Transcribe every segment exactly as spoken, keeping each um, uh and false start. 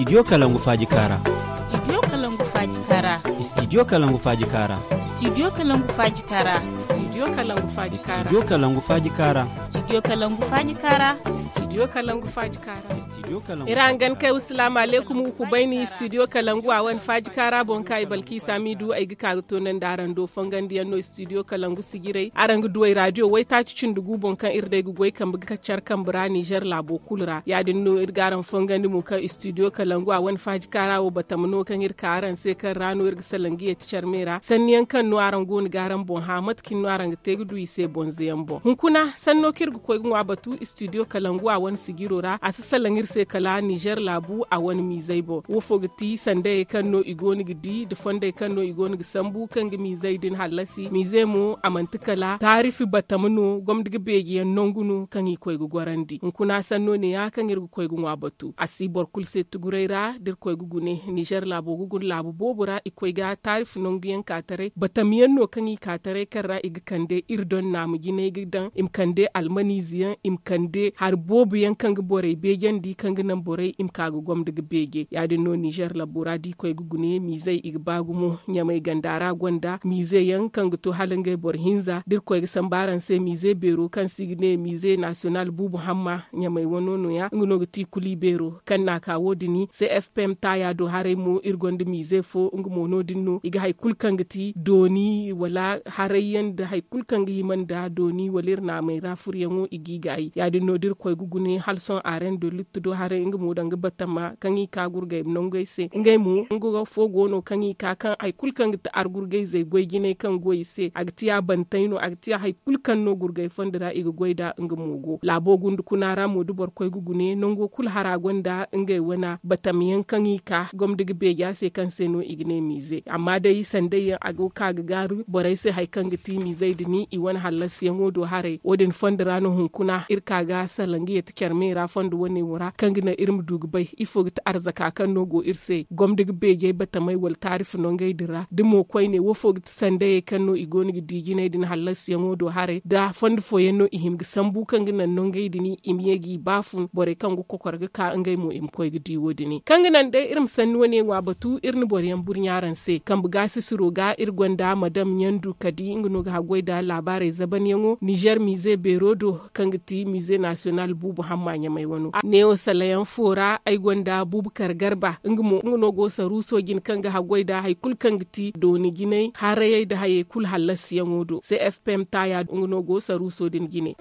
Studio Kalangu Faaji Kaara. Studio Kalangu Faaji Kaara. Studio Kalangu Faaji Kaara. Studio Kalangu Faaji Kaara. Studio Kalangu Faaji Kaara. Studio Kalangu Faaji Kaara. Studio Kalangu Faaji Kaara. Studio Kalangu Faaji Kaara. Studio Kalangu Ira hangan kay, wasalaamu aleykum, gu kubayni Studio Kalangu a wane Faaji Kaara boŋ ka i Balki Samidu ay ga ka ga toonandi araŋ do. Fongandiyaŋ no Studio Kalangu sijirey, araŋ ga duw'ey raadiyo waytaaci cindi gu boŋ kaŋ iri day ga goy kambe ga kaccar kambe ra Nizer laabo kulu ra. Ya-din no iri ga araŋ fongandi mo kaŋ Studio Kalangu a wane Faaji Kaara wo batama no kaŋ iri ka araŋ se, kaŋ ra no iri ga salaŋ ga yeeti care me ra. Sanniyaŋ kaŋ no araŋ go no ga araŋ boŋ hã, mate cine no araŋ ga te ga du i se bonzeyaŋ boŋ. Hunkuna sanno kaŋ iri ga koy ga ŋwa batu Studio Kalangu a wane sijiro ra, a si salaŋ iri se kala Nizer laabu a wane miizey boŋ. Wo fo ga ti sandayey kaŋ no i go no ga di, da fondey kaŋ no i go no ga sambu, kaŋ ga miizey din hallasi. Miize mo, a manti kala taarifi batama no, gomdi ga beejiyaŋ nangu no kaŋ i koy ga gorandi. Hunkuna sanno ne-ya kaŋ iri ga koy ga ŋwa batu. A si boro kulu se tuguray ra, da iri koy ga gune, Nizer laabo ga guna laabu boobo ra, i koy ga taarifi nanguyaŋ ka taray, batamiyaŋ no kaŋ i ka taray, kaŋ ra i ga kande iri doŋ naamu jinay ga daŋ, i ma kande almaniize yaŋ, i ma kande hari boobo yaŋ kaŋ ga borey beejandi, kaŋ ga naŋ borey i ma ka ga gomda ga beeje. Ya-din no Nizer labo ra, da i koy ga gune, miizey i ga ba gumo. Ɲamay ganda ra gonda miize yaŋ kaŋ ga to hala ngey boro hinza. Da iri koy ga sambu araŋ se, miize beero kaŋ se i ga ne miize nasiyonal buubu hamma, Ɲamay wano nooya, nga no ga ti kuli beero. Kaŋ n'a ka wo-din, C F P M taaya do haray mo, iri gonda miize fo, nga mo no-din no. I ga hari kulu kaŋ ga ti dooni, wala haray yaŋ nda hari kulu kaŋ ga hima nda dooni, wala iri naamey ra furyaŋo, i g'i gaayi. Ya-din no da iri koy ga gune, hala sohõ areŋ do luttu do haray, nga mo danga batama kaŋ i ka gurgay nangey se. Ngey mo, nga fo go no kaŋ i ka kaŋ hari kulu kaŋ ga ti argurgayzey goy jinay kaŋ go i se. A ga ti ya bantey no, a ga ti ya hari kulu kaŋ no gurgay fondo ra i ga goy nd'a, nga mo go. Laabo gunda kuna ra mo, da boro koy ga gune, nango kulu hara gonda ngey wane batamiyaŋ kaŋ i ka gomda ga beeja se, kaŋ se no i ga ne miize. Amma day sanday yaŋ, a go ka ga gaaru borey se hari kaŋ ga ti miizey din, i wane hallasiyaŋo do haray. Wo-din fondo ra no hunkuna iri ka ga salaŋ ga yeeti care me ra fondo wane wo ra, kaŋ ga naŋ iri ma du ga bay ifo ga ti arzaka kaŋ no go iri se, gomda ga beejey batamey wala taarifi nangey din ra. Da mo koyne, wo fo ga ti sandayey kaŋ no i go no ga di jinay din hallasiyaŋo do haray, da fondo fooyaŋ no i hin ga sambu kaŋ ga naŋ nangey din i ma ye g'i baafun, borey kaŋ ga kokor ga ka ngey mo i ma koy ga di wo-din. Kaŋ ga naŋ day iri ma sanni wane ŋwa batu, iri na boroyaŋ burɲa araŋ se. Kambe gaasisiro ga iri gonda Madam Ɲandu Kadi, nga no ga haggoy nda laabaarey zabanyaŋo Nizer miize beero do, kaŋ ga ti Musée National Buubu Hamma Ɲamay wano. Neewo salayaŋ fo ra ay gonda Bubakar Garba, nga mo, nga no go saruuso jine kaŋ ga haggoy nda hari kulu kaŋ ga ti dooni jinay harayey nda hayey kulu hallasiyaŋo do. C F P M taaya nga no go saruuso din jine.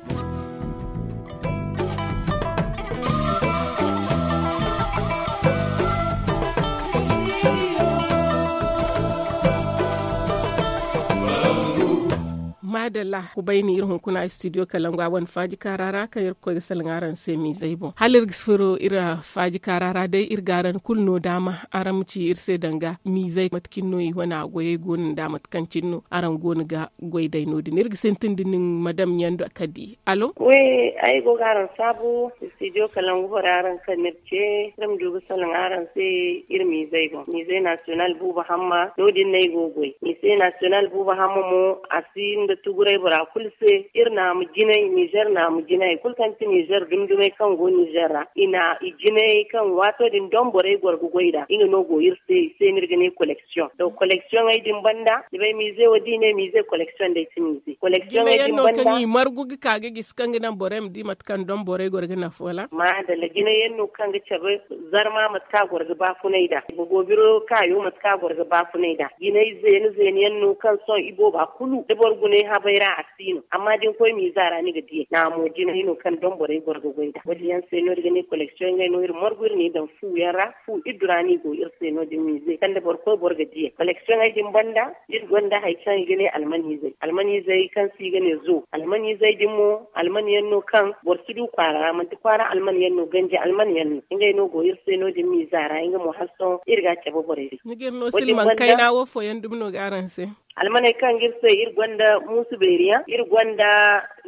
Maadalla, kubayni iri hunkuna studio Kalangu a wane Faaji Kaara ra, kaŋ iri ga koy ga salaŋ araŋ se miizey boŋ. Hala iri ga furo iri Faaji Kaara ra day, iri ga araŋ kulu no daama araŋ ma ci iri se danga miizey, mate cine no i wane goyey go no nda mate kaŋ cine no araŋ go no ga goy day no-din. Iri ga sintin da nin, Madam Ɲando Kadi. Alo? Wi, ay go ga araŋ saabu, studio Kalangu bora araŋ kaŋ ni iri ce, iri ma du ga salaŋ araŋ se iri miizey boŋ. Miize National Buuba Hamma, no-din no ay go ga goy. Miize National Buuba Hamma mo, a si nda tuguray bora kulu se, iri naamu jinay, Nizer naamu jinay, hari kulu kaŋ ti Nizer dumdumay kaŋ go Nizer ra, i na i jinayey kaŋ waato din doŋ borey goro ga goy nd'a, nga no go iri se, i se no iri ga ne collection. To, collectioney din banda, ni bay, miize wo, da i ne miize, collection day ti miize. Collectioney din banda, kaŋ i margu ga ka ga gisi, kaŋ ga naŋ borey ma di mate kaŋ doŋ borey goro ga nafa, wala? Maadalla, jinay yaŋ no kaŋ ga cabe zarma mate kaŋ a goro ga baafunay nd'a, bogo biro kaayo mate kaŋ a goro ga baafunay nd'a. Jinay zeene zeene yaŋ no kaŋ sohõ ibooba kulu, da boro gune habay ra a si no. Amma da ni koy miiza ra, ni ga di a. Naamo jinay no kaŋ doŋ borey goro ga goy nd'a. Wo-din yaŋ se no iri ga ne collection, ngey no iri margu, iri n'i daŋ fu yaŋ ra, fu iddu ra no i go iri se no-din miize, kaŋ da boro koy boro ga di a. Collectioney din banda, iri gonda hari kaŋ i ga ne almanizey. Almanizey kaŋ se i ga ne zo. Almanizey din mo, alman yaŋ no kaŋ boro si du kwaara ra, manti kwaara alman yaŋ no, ganji alman yaŋ no. Ngey no go iri se no-din miiza ra, nga mo hala sohõ iri ga a cabe borey se. Ni ga iri no silmaŋ kayna wo fooyaŋ dumi no ga araŋ se? Almaney kaŋ ga iri se, iri gonda muusu beeri yaŋ, iri gonda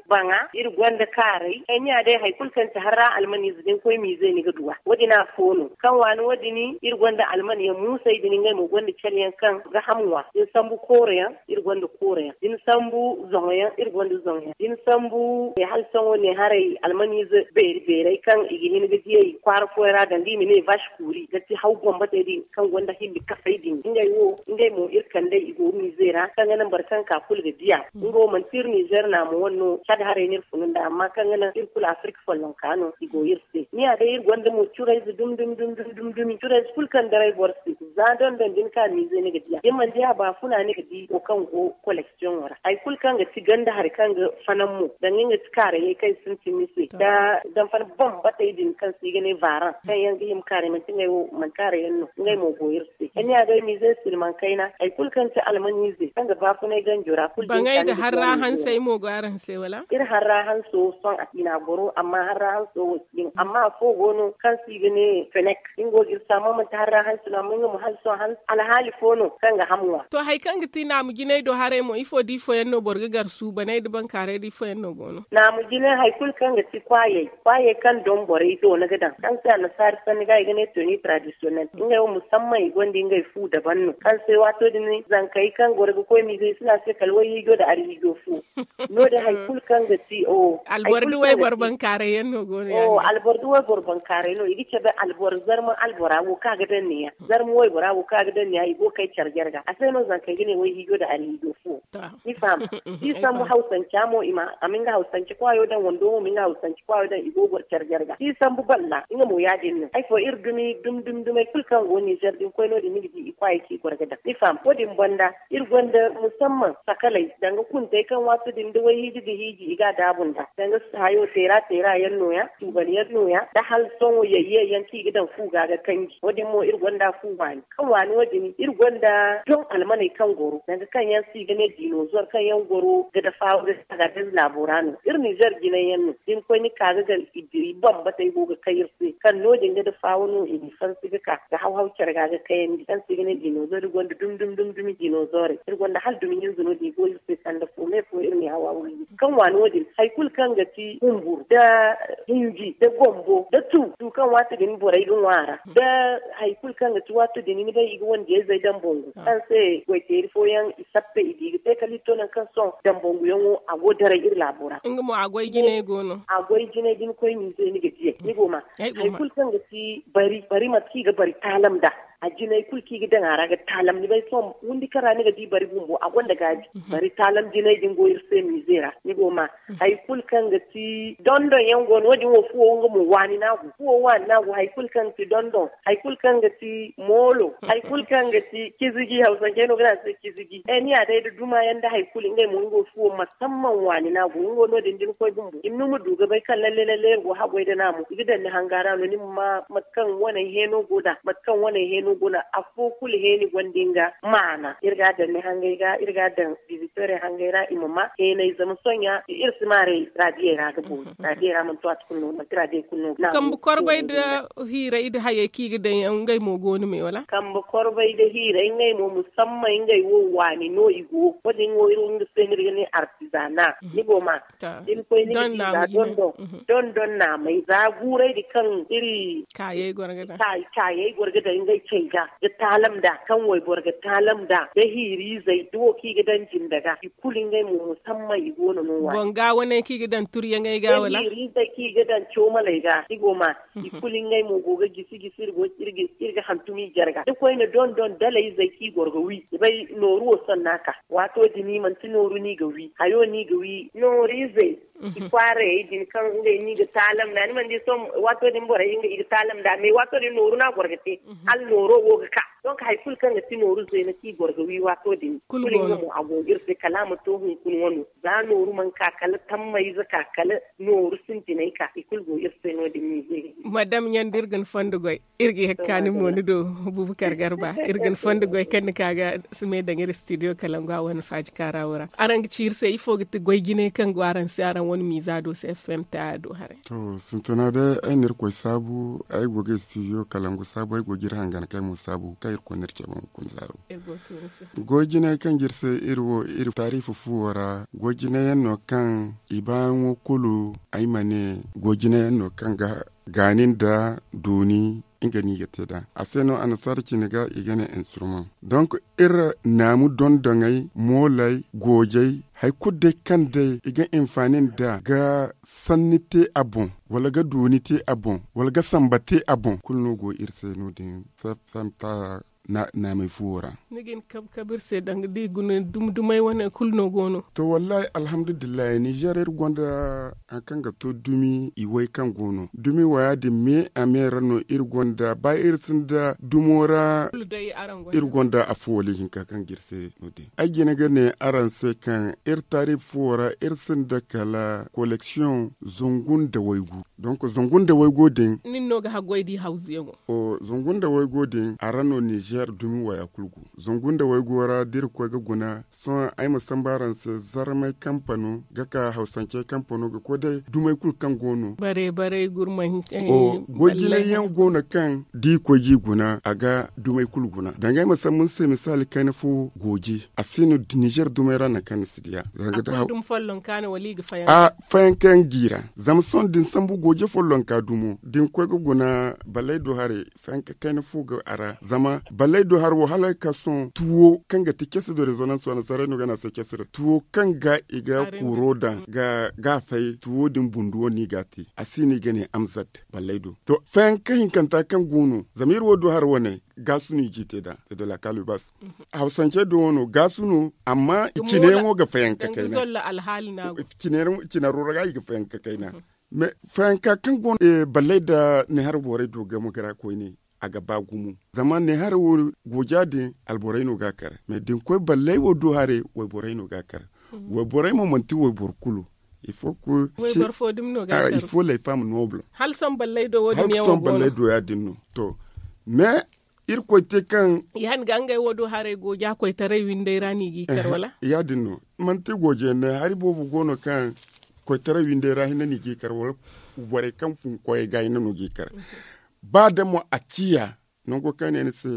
baŋa, iri gonda kaaray. Ay ne a day, hari kulu kaŋ ti harra almaniize da ni koy miize, ni ga du a. Wo-din afo no. Kaŋ waani wo-din, iri gonda alman yaŋ muusay din, ngey mo gonda care yaŋ kaŋ ga ham ŋwa. Da ni sambu kooro yaŋ, iri gonda kooro yaŋ. Da ni sambu zoŋo yaŋ, iri gonda zoŋo yaŋ. Da ni sambu, eh, hala sohõ ne haray, almaniize beeri beeray kaŋ i ga hin ga diyey kwaara fooyaŋ ra, danga i ma ne vache kuuri, ga ti haw bambatey din kaŋ gonda hilli kafay din. Ngey wo, ngey mo iri kand'ey i go miize ra, kaŋ ga naŋ boro kaŋ ka kulu ga di a. Nga wo manti iri Nizer naamo wane no, Cad haray no iri funu nd'a, amma kaŋ ga naŋ iri kulu Afirka follonka no, i go iri se. Ni ya day, iri gonda mo curayze dumi, dumi, dumi, dumi, dumi, dumi. Curayze kulu kaŋ daray boro se, za dondon da ni ka miize ni ga di a. Da ni mana di a baafuna, ni ga di wo kaŋ go koleksiyoŋo ra. Hari kulu kaŋ ga ti ganda hari kaŋ ga fanaŋ mo, danga nga ti kaarayey kaŋ sintin ni se. Da, da fanaŋ bambatey din kaŋ se i ga ne vaaran, kaŋ yaŋ ga hima kaaray, manti ngey wo, manti kaaray yaŋ no, ngey mo go iri se. Ay ne a day, miize silmaŋ kayna, hari kulu kaŋ ti almaniize, kaŋ ga baafunay ganjo ra, kulu din baŋay da harra hansey mo go araŋ se, wala? Iri harra hanso sohõ a si na goro, amma harra hanso wo si din. Amma afo go no kaŋ se i ga ne fenek. Nga go ga iri se, amma manti harra hanso no, amma nga mo hanso han-, alhaali fo no kaŋ ga ham ŋwa. To, hari kaŋ ga ti naamu jinay do haray mo, ifo da ifo yaŋ no boro ga gar suubanay da bankaaray da ifo yaŋ no go no? Naamu jinay, hari kulu kaŋ ga ti kwaayey, kwaayey kaŋ doŋ borey do ni ga daŋ. Kaŋ se annasaari sanni ga i ga ne tenue traditionnelle. Ngey wo musamman i gonda ngey fu daban no. Kaŋ se waato din zankey kaŋ goro ga koy miize, i si ne a se kala wayhiijo da arhiijo fu. No-din hari kulu kaŋ ga ti, o, hari kulu kaŋ ga ti alboro da wayboro bankaaray yaŋ no go no, o, yaadin alboro da wayboro bankaaray no. I ga cabe alboro, zarma albora wo kaŋ a ga daŋ neeya. Zarma waybora wo kaŋ a ga daŋ neeya, i go ga kay care jarga. A se no zankey ga ne wayhiijo da arhiijo fu. Ni faham? Da i sambu hawsanca mo, i ma, a ma nga hawsanci kwaayo daŋ, wando mo ma nga hawsanci kwaayo daŋ, i go ga goro care jarga. Da i sambu balla, nga mo yaadin no. Hari fo iri dumi, dumi, dumi, dumey kulu kaŋ go Nizer din koy no-din, ni ga di i kwaayey kaŋ i goro ga daŋ. Ni faham? Wo-din banda, iri gonda musamman sakaley, danga kuntey kaŋ waato din da wayhiiji ga hiiji, i ga a daabu nd'a. Danga hayo teera teera yaŋ nooya, tuubal yaŋ nooya, da hala sohõ yayye yaŋ kaŋ i ga daŋ fu ga ga kanji. Wo-din mo iri gonda fu waani. Kaŋ waani wo-din, iri gonda doŋ almaney kaŋ goro, danga kaŋ yaŋ se i ga ne dinozor, kaŋ yaŋ goro ga dafa ga ka ga danga laabo ra no. Iri Nizer jinay yaŋ no. Da ni koy ni ka ga gar i diri bambatey go ga kay iri se, kaŋ no-din ga dafa wano i n'i fansi ga ka ga haw-haw care ga ga kayandi. Kaŋ se i ga ne dinozor, iri gonda dumi, dumi, dumi, dumi dinozorey. Iri gonda hala dumi hinza no-din i go iri se sanda fo, me fo iri n'i haw-haw iri. Kaŋ waani wo-din, hari kulu kaŋ ga ti humbur, da hinji, da gombo, da tu, tu kaŋ waati din borey ga ŋwa a ra, da hari kulu kaŋ ga ti waato din, ni bay, i ga wandiyayzey daŋ bangu, kaŋ se goy-teeri fooyaŋ i sappe, i di ga te kala i to nangu kaŋ sohõ daŋ banguyaŋo a go daray iri laabo ra. Nga mo a goy jinay go no. A goy jinay da ni koy miize ni ga diyey, ni go ma. Hari kulu kaŋ ga ti bari, bari mate kaŋ i ga bari taalam nd'a. A jinay kulu kaŋ i ga daŋ a ra ga taalam, ni bay, sohõ windi kaŋ ra ni ga di bari bumbo, a gonda gaabi. Bari taalam jinay din go iri se miize ra, ni go ma. Hari kulu kaŋ ga ti dondon yaŋ go no, wo-din wo fuwo nga mo waani no a go. Fuwo waani no a go, hari kulu kaŋ ga ti dondon, hari kulu kaŋ ga ti moolo, hari kulu kaŋ ga ti kizigi, hawsancey no ga ne a se kizigi. Eh, ni ya day da duma yaŋ da hari kulu, ngey mo nga wo fuwo musamman waani no a go. Nga wo no-din da ni koy bumbo, i ma ni ma du ga bay kaŋ lalle lalle iri go haggoy da naamo. I ga daŋ ni hanga ra no, ni ma ma mate kaŋ waney heeno go nd'a, mate kaŋ waney heeno go nd'a, afo kulu heeni gonda nga maana. Iri ga a daŋ ni hangey ga, iri ga a daŋ bizitorey hangey ra, i ma ma heenay, zama sohõ iri si maaray raadiyey ra ga boori. Raadiyey ra manti waati kulu no, manti raadiyey kulu no ga kambe korbay da hiiray da hayey kaŋ i ga daŋ yaŋ, ngey mo go no me, wala? Kambe korbay da hiiray, ngey mo musamman ngey wo waani no i go. Wo-din wo iri wo nga se no iri ga ne artizana. Ni go ma. Da ni koy ni ga di za dondon, dondon naamay, za guuray din kaŋ iri kaayey goro ga daŋ, kaayey goro ga daŋ ngey cey ga, ga taalam nd'a, kaŋ wayboro ga taalam nd'a, da hiiriizey, da wo kaŋ i ga daŋ jinda ga, i kulu ngey mo musamman i go no no waani. Boŋ ga waney kaŋ i ga daŋ turyaŋey ga, wala? Da hiiriizey kaŋ i ga daŋ coomaley ga, i go ma. I kulu ngey mo go ga gisi gisi, iri go, iri ga, iri ga hantum i jarga. Da koyne dondon dalayzey kaŋ i goro ga wi. Ni bay nooru wo sohõ no a ka. Waato din manti nooru no i ga wi. Hayo no i ga wi. Nooriizey, i kwaarayey din kaŋ ngey no i ga taalam nd'a. Ni mana di sohõ waato din borey nga i ga taalam nd'a. Mais waato din nooru no a goro ga te. Hala nooro wo ga ka. Donc hari kulu kaŋ ga ti nooru zeena kaŋ i goro ga wi waato din. Kulu nga mo a go iri se kala a ma to hunkuna wano. Za nooru mana ka kala tammayze ka kala nooru sintinay ka. I kulu go iri se no- din miize. Madam ɲandi iri ga ni fondo goy. Iri ga ye ga kaani mo ni do. Bubakar garba iri ga ni fondo goy kaŋ ni ka ga si me daŋ iri studio kalangu a wane faaji kaara wo ra araŋ ga ci iri se ifo ga ti goy jinay kaŋ go araŋ se araŋ wane miiza do se f m ta do haray. To sintina day ay na irkoy saabu ay go ga studio kalangu saabu ay go ga iri hangan kay mo saabu kaŋ irkoy na iri cabe hunkuna zaaro. Goy jinay kaŋ ga iri se iri wo iri taariifa fuwo ra goy jinay yaŋ no kaŋ i baayaŋo kulu ay ma ne goy jinay yaŋ no kaŋ ga gaani nda dooni nga no i ga te nd'a a se no annasaara cine ga i ga ne instrument donk iri naamu dondoŋey mooley goojey hari kulu day kaŋ day i ga hinfaani nd'a ga sanni te a boŋ wala ga dooni te a boŋ wala ga samba te a boŋ kulu no go iri se no- din. Samta naamey fuwo ra. Ni ga hin kabe kabe iri se danga da i guna dumi dumey wane kulu no go no. To wallaahi alhamdulillahi nizer iri gonda hari kaŋ ga to dumi iway kaŋ go no dumi waya din me a me ra no iri gonda ba iri sinda dumo ra. Iri gonda afo wala ihinka kaŋ ga iri se no- din ay jina ga ne araŋ se kaŋ iri taariifa fuwo ra iri sinda kala koleksiyoŋ zangu nda waygu. Donk zangu nda waygo din nin no ga haggoy da i hawzuyaŋo. Zangu nda waygo din a ra no nizer dumi waya kulu go. Zangu nda waygo ra da iri koy ga guna sohõ ay ma sambu araŋ se zarmay kampano ga ka hawsancey kampano ga koy day dumey kulu kaŋ go no. Bare bare gurmay. Goy jinay yaŋ go no kaŋ da i koy ga i guna a ga dumey kulu guna danga ay ma sambu ni se misaali kayna fo gooji a si no nizer dumey ra nangu kaŋ ni si diya. Fayanka yaŋ ga i ra zama sohõ da ni sambu gooje follonka dumo da ni koy ga guna ballaydo haray fayanka kayna fo go a ra zama ballaydo haray wo hala ga ka sohõ tuwo kaŋ ga ti case de rezonance wane saray no ga ne a se case ra tuwo kaŋ ga i ga kuuro daŋ ga fay tuwo din bunduwo no i ga a te a si no i ga ne amzad ballaydo. To fayanka hinkanta kaŋ go no zama iri wo do haray wane gaasu no i ga i te nd'a. Te de la kalibas hawsance do wano gaasu no amma i cine yaŋo ga fayanka kayna. Cinaro ra ga i ga fayanka kayna. Mais fayanka kaŋ go no ballay nda neehar borey do game ga ra koyne a ga ba gumo zama neehar wo gooja din alborey no ga a kar mais da ni koy ballay wo do haray wayborey no ga a kar. Wayborey mo manti wayboro kulu. Il faut que il faut les femmes nobles. Hala sohõ ballay do ya- din no. To mais irkoy te kaŋ ya- din ga ngey wo do haray gooja koytaray windey ra no i g'i kar wala? Ya- din no manti gooje ne hari boobo go no kaŋ koytaray windey ra hinne no i g'i kar wala borey kaŋ fun koyey ga hinne no g'i kar. Ba da mo a ciya nango kaŋ ne ni se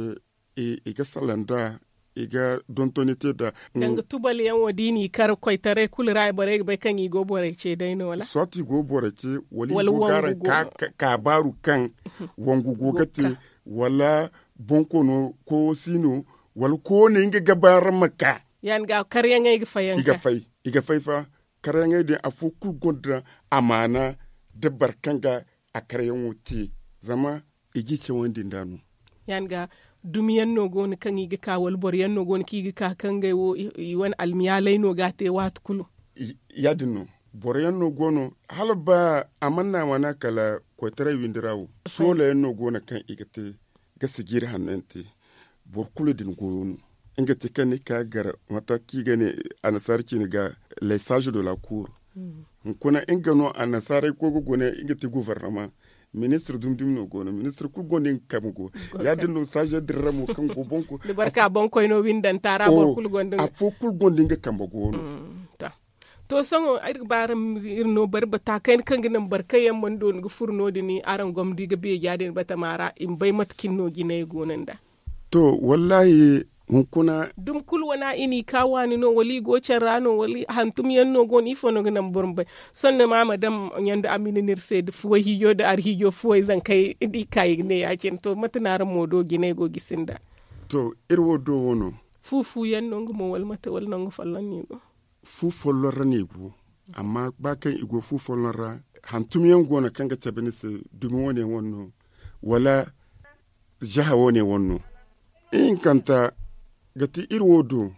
i ga salaŋ nd'a i ga dontoni te nd'a. Danga tubal yaŋ wo da i n'i kar koytaray kulu ra borey ga bay kaŋ i go borey ce day no wala? Soit i go borey ce wala i go ga araŋ ka baaru kaŋ wangu go ga te wala bonkoono koyo si no wala koyo ne nga ga ba araŋ ma ka. Ya- din ga karyaŋey ga fayanka i ga fay i ga fay fa. Karyaŋey din afo kulu gonda amaana nda boro kaŋ ga a karyaŋo te zama i g'i cawandi nd'a no. Ya- din ga dumi yaŋ no go no kaŋ i ga ka wala boro yaŋ no go no kaŋ i ga ka kaŋ ngey wo i wane almiyaalay no ga a te waati kulu. Ya- din no boro yaŋ no go no hala ba a mana wana kala koytaray windi ra wo soola yaŋ no go no kaŋ i ga te ga sijiri hanno yaŋ te. Boro kulu din goyo no nga te kaŋ ni ka gar mate kaŋ i ga ne annasaara ciine ga les sages de la cour. Hunkuna nga no annasaarey koy ga guna nga ti gouvernement ministre dumi dumi no go no ministre kulu gonda nga kambe go. Ya- din no sages din ra mo kaŋ go boŋ kulu da boro ka boŋ koy no windanta ra boro kulu gonda nga kambe go no. To sohõ iri ga ba araŋ ma iri no bari bata kayna kaŋ ga naŋ boro kaŋ yaŋ mana dooni ga furo no- din araŋ gomdi ga beeja din batama ra i ma bay mate cine no jinay go no nd'a. To wallaahi hunkuna dumi kulu wana i n'i ka waani no wala i go care ra no wala hantum yaŋ no go no ifo no ga naŋ boro ma bay? Sohõ ni ma ma daŋ ɲandu a ma ni no iri se da fuway hiijo da arhiijo fuway zankey da i ka i ga ne ya- cine to mate no araŋ mo do jinay go gisi nd'a? To iri wo do wo no. Fu fu yaŋ no nga mo wala mate wala nangu folloŋ no i go? Fu folloŋ ra no i go. Amma ba kaŋ i go fu folloŋ ra hantum yaŋ go no kaŋ ga cabe ni se dumi wane wane no wala zaha wane wane no. Ihinkanta ga ti iri wo do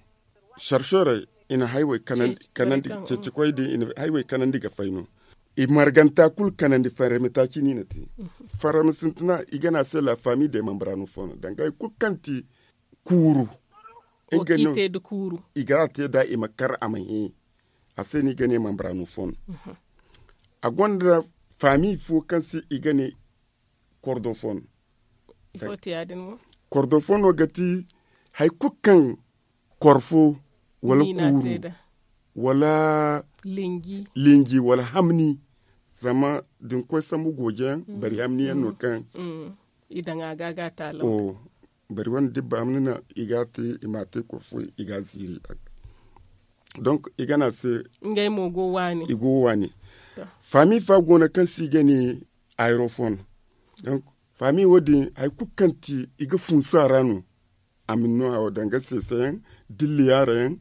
sarsorey i na haywey kanandi ceeci koy din i na haywey kanandi ga fay no. I marganta kulu kanandi farrami taaci no i na te. Farrami sintina i ga ne a se la famille de membra no fo no danga hari kulu kaŋ ti kuuru. I ga a te nd'a i ma kar a ma hẽ. A se no i ga ne membra no fo no. A gonda faami fo kaŋ se i ga ne kordofon. Kordofon no ga ti hari kulu kaŋ koro fo wala kuuru wala linji wala hamni. Zama da ni koy sambu gooje yaŋ bari hamni yaŋ no kaŋ i daŋ a ga ga taalaw. Bari wane dibba hamni no i ga a te i ma a te koro fo i ga a ziiri. Donk i ga ne a se ngey mo go waani i go waani. Faami fa go no kaŋ se i ga ne aerofon. Donk faami wo- din hari kulu kaŋ ti i ga funsu a ra no. A ma ni no hawo danga seeseyaŋ, dilli yaarayaŋ,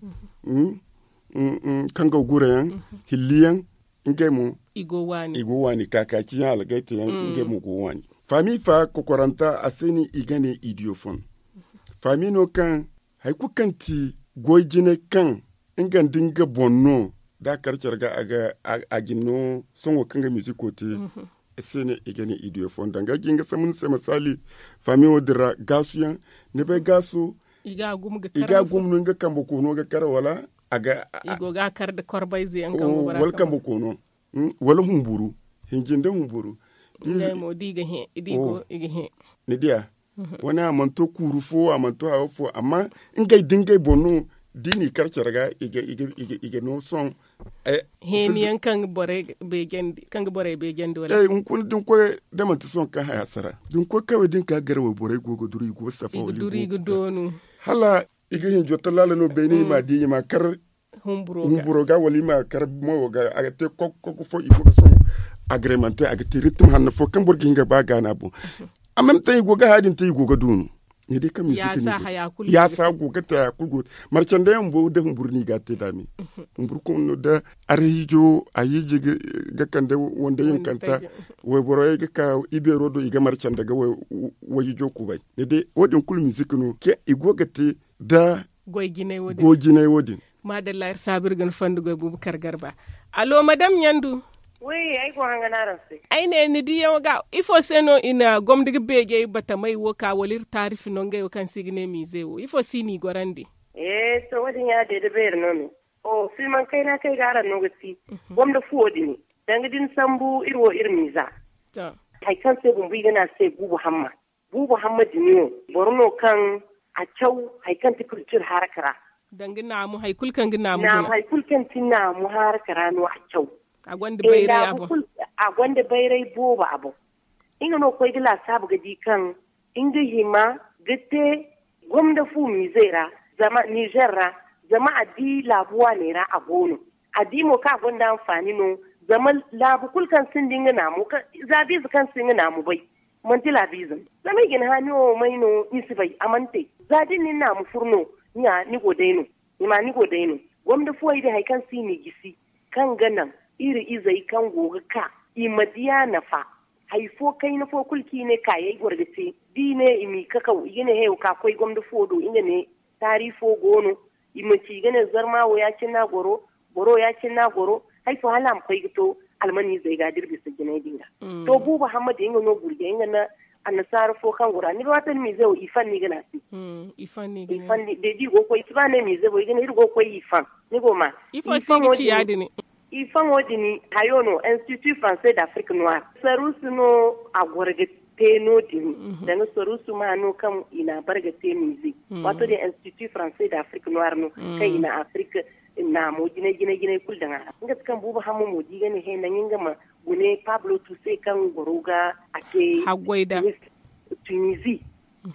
kangaw gurayaŋ, hilliyaŋ. Ngey mo i go waani kaakaaci yaŋ algayta yaŋ. Ngey mo go waani faami fa kokoranta a se no i ga ne idiyofon. Faami no kaŋ hari kulu kaŋ ti goy jinay kaŋ nga nda nga boŋ no da a kar care ga a ga a ga ni no sohõ kaŋ ga miiziko te. Se no i ga ne idiyofon danga ga nga sambu ni se masaali faami wo- din ra gaasu yaŋ ni bay gaasu i ga a gumo no nga kambe koono ga kar wala a ga i go ga a kar nda korbayze yaŋ kaŋ go bara wala kambe koono wala humburu hinji nda humburu. Ngey mo da i ga hẽ i di go i ga hẽ ni diya. Wane a mana to kuuru fo a mana to hayo fo amma ngey da ngey boŋ no da i n'i kar care ga i ga no sohõ. Heeni yaŋ kaŋ ga borey beejandi kaŋ ga borey beejandi wala hunkuna da ni koy da manti sohõ kaŋ haya sara da ni koy kawey da ni ka gar wayborey go ga duru i go ga safa wala i ga doonu hala i ga hinjo tallaala no beene i ma di i ma kar humburo ga wala i ma kar moyo ga a ga te koko fo i go ga sohõ. Agremante a ga te rittim hanno fo kaŋ boro ga hin ga ba gaana boŋ. Amma ni taŋ i go ga haya din te i go ga doonu ni di kaŋ music ni go ya sa go ga te haya kulu go marcanda yaŋ bumbo da humburu no i ga a te daami. Humburu kaŋ no da arhiijo a hiiji ga kande wanda yankanta wayborey ga ka ibeero do i ga marcanda ga wayhiijo kubay ni di wo- din kulu music no kaŋ i go ga te da goy jinay wo- din. Maadalla iri saabu iri ga ni fondo goy buubu kar garba. Allo madame ɲandu. Ay ne ni diyaŋo ga ifo se no i na gomni ga beejey batamey wo ka wala iri taarifi no ngey wo kaŋ se i ga ne miize wo ifo se i n'i gorandi? To wo- din ya- din da beeri no me. Filmaŋ kayna kaŋ ay ga araŋ no ga ti gomni fuwo din danga da ni sambu iri wo iri miiza. Hari kaŋ se bumbo i ga ne a se buubu hamma. Buubu hamma din wo boro no kaŋ a caw hari kaŋ ti kultur haraka ra. Danga naamu hari kulu kaŋ ga naamu hari kulu kaŋ ti naamu haraka ra no a caw. A gonda bayray boobo a boŋ. Nga no koy ga laasaabu ga di kaŋ nga hima ga te gomna fu miizey ra zama nizer ra zama a di laabu waaney ra a go no. A di mo kaŋ a gonda anfaani no zama laabu kulu kaŋ sinda nga naamu za biize kaŋ si nga naamu bay. Manti laabiize no zama i ga ni haani wo may no ni si bay a mana te. Za da ni na ni naamu furu no ɲa ni go day no. Ni ma ni go day no. Gomna fuwey din hari kaŋ se i n'i gisi kaŋ ga naŋ iri izey kaŋ go ga ka i ma di a nafa. Hari fo kayna fo kulu kaŋ i ne kaayey goro ga te da i ne i m'i kakaw i ga ne heyo ka koy gomna fuwo do nga ne taari fo go no. I manci i ga ne zarma wo ya- cine no a goro. Boro ya- cine no a goro. Hari fo hala a ma koy ga to almaniizey ga da iri bisa jinay din ga. To buuba hamma din nga no gurjay nga nda annasaara fo kaŋ gora ni ga waati ni miize wo i fan no i ga ne a se. Day da i go ga koy i si ba ne miize bo i ga ne iri go ga koy i fan. Ni go ma i faŋo din hayo no institut français d'afrique noire saruusu no a goro ga te no- din. Danga saruusu ma no kaŋ i na a bare ga te miize. Waato din institut français d'afrique noire no kaŋ i na afrik naamo jinay jinay jinay kulu daŋ a ra nga ti kaŋ buubu hamma mo da i ga ne he naŋ nga ma gune pablo tuse kaŋ goro ga a te haggoy da. Tunizi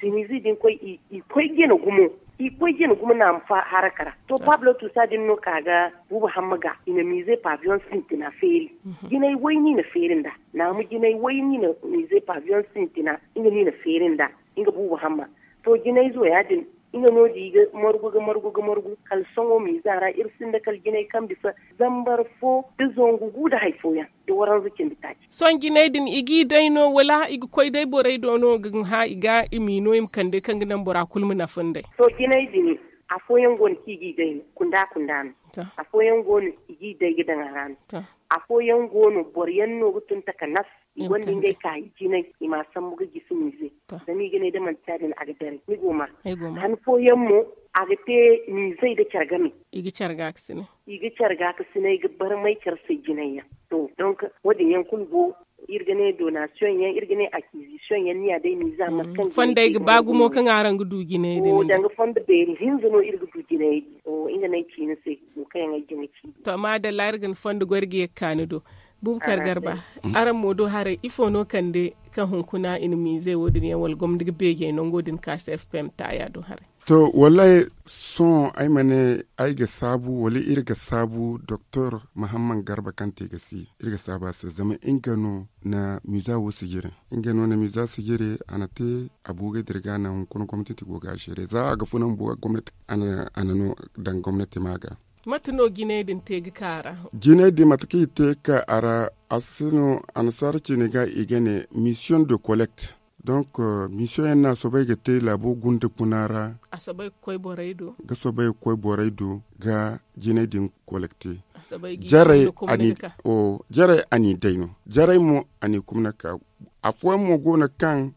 tunizi din koy i koy jina gumo i koy jina gumo naamu haraka ra to pablo tusa din no ka ga buubu hamma ga i na miize pavion sintina feeri. Jinay way no i na feeri nda naamu jinay way no i na miize pavion sintina nga no i na feeri nda nga buubu hamma. To jinayzo ya- din nga no- din i ga margu ga margu ga margu kala sohõ miiza ra iri sinda kala jinay kaŋ bisa zambar fo da zangu gu da hari fooyaŋ da waranza cindi taaci. Sohõ jinay din i g'i day no wala i ga koy day borey do no ga hã i ga i m'i no i ma kande kaŋ ga naŋ bora kulu ma nafa nd'ey? To jinay din afooyaŋ go no kaŋ i g'i day no kunda kunda no. Afooyaŋ go no i g'i day ga daŋ a ra no. Afooyaŋ go no boro yaŋ no ga tun takanas i gonda ngey kaayi jinay i m'a sambu ga gisi miize. Zama i ga ne da manti ya- din a ga daray ni go ma han fooyaŋ mo a ga te miizey da care game. I ga care ga ka sinay i ga barmay care se jinay yaŋ. To donk wo- din yaŋ kulu go. Iri ga ne donasiyoŋ yaŋ, iri ga ne akizisiyoŋ yaŋ ni ya day miiza mate kaŋ fondey ga ba gumo kaŋ araŋ ga du jinay din. Danga fondo beeri hinza no iri ga du jinay din. Nga no ay ci ni se wo kaŋ yaŋ ay jina ci. To maadalla iri ga ni fondo goy iri ga ye ga ka ni do. Bubakar garba, araŋ mo do haray ifo no kande kaŋ hunkuna i na miize wo- din yaŋ wala gomni ga beejey nango din ka se fpm taaya do haray? To wallahi, sohõ ay ma ne ay ga saabu wala iri ga saabu doktor muhammad garba kaŋ te ga si iri ga saabu a se zama nga no na miiza wo sijiri. Nga no na miiza sijiri a na te a buugay dirga na hunkuna gomnati go ga a seere za a ga funa mbuga gomnati a na no daŋ gomnati ma ga. Mate no jinay din te ga ka a ra? Jinay din mate kaŋ i te ga ka a ra, a si no annasaara ciine ga i ga ne mission de collecte. Donc mission yaŋ no a soobay ga te laabo gunda kuna ra. A soobay ga koy borey do ga soobay ga koy borey do ga jinay din collecte. Jarey a n'i day no jarey mo a n'i kumna ka. Afooyaŋ mo go no kaŋ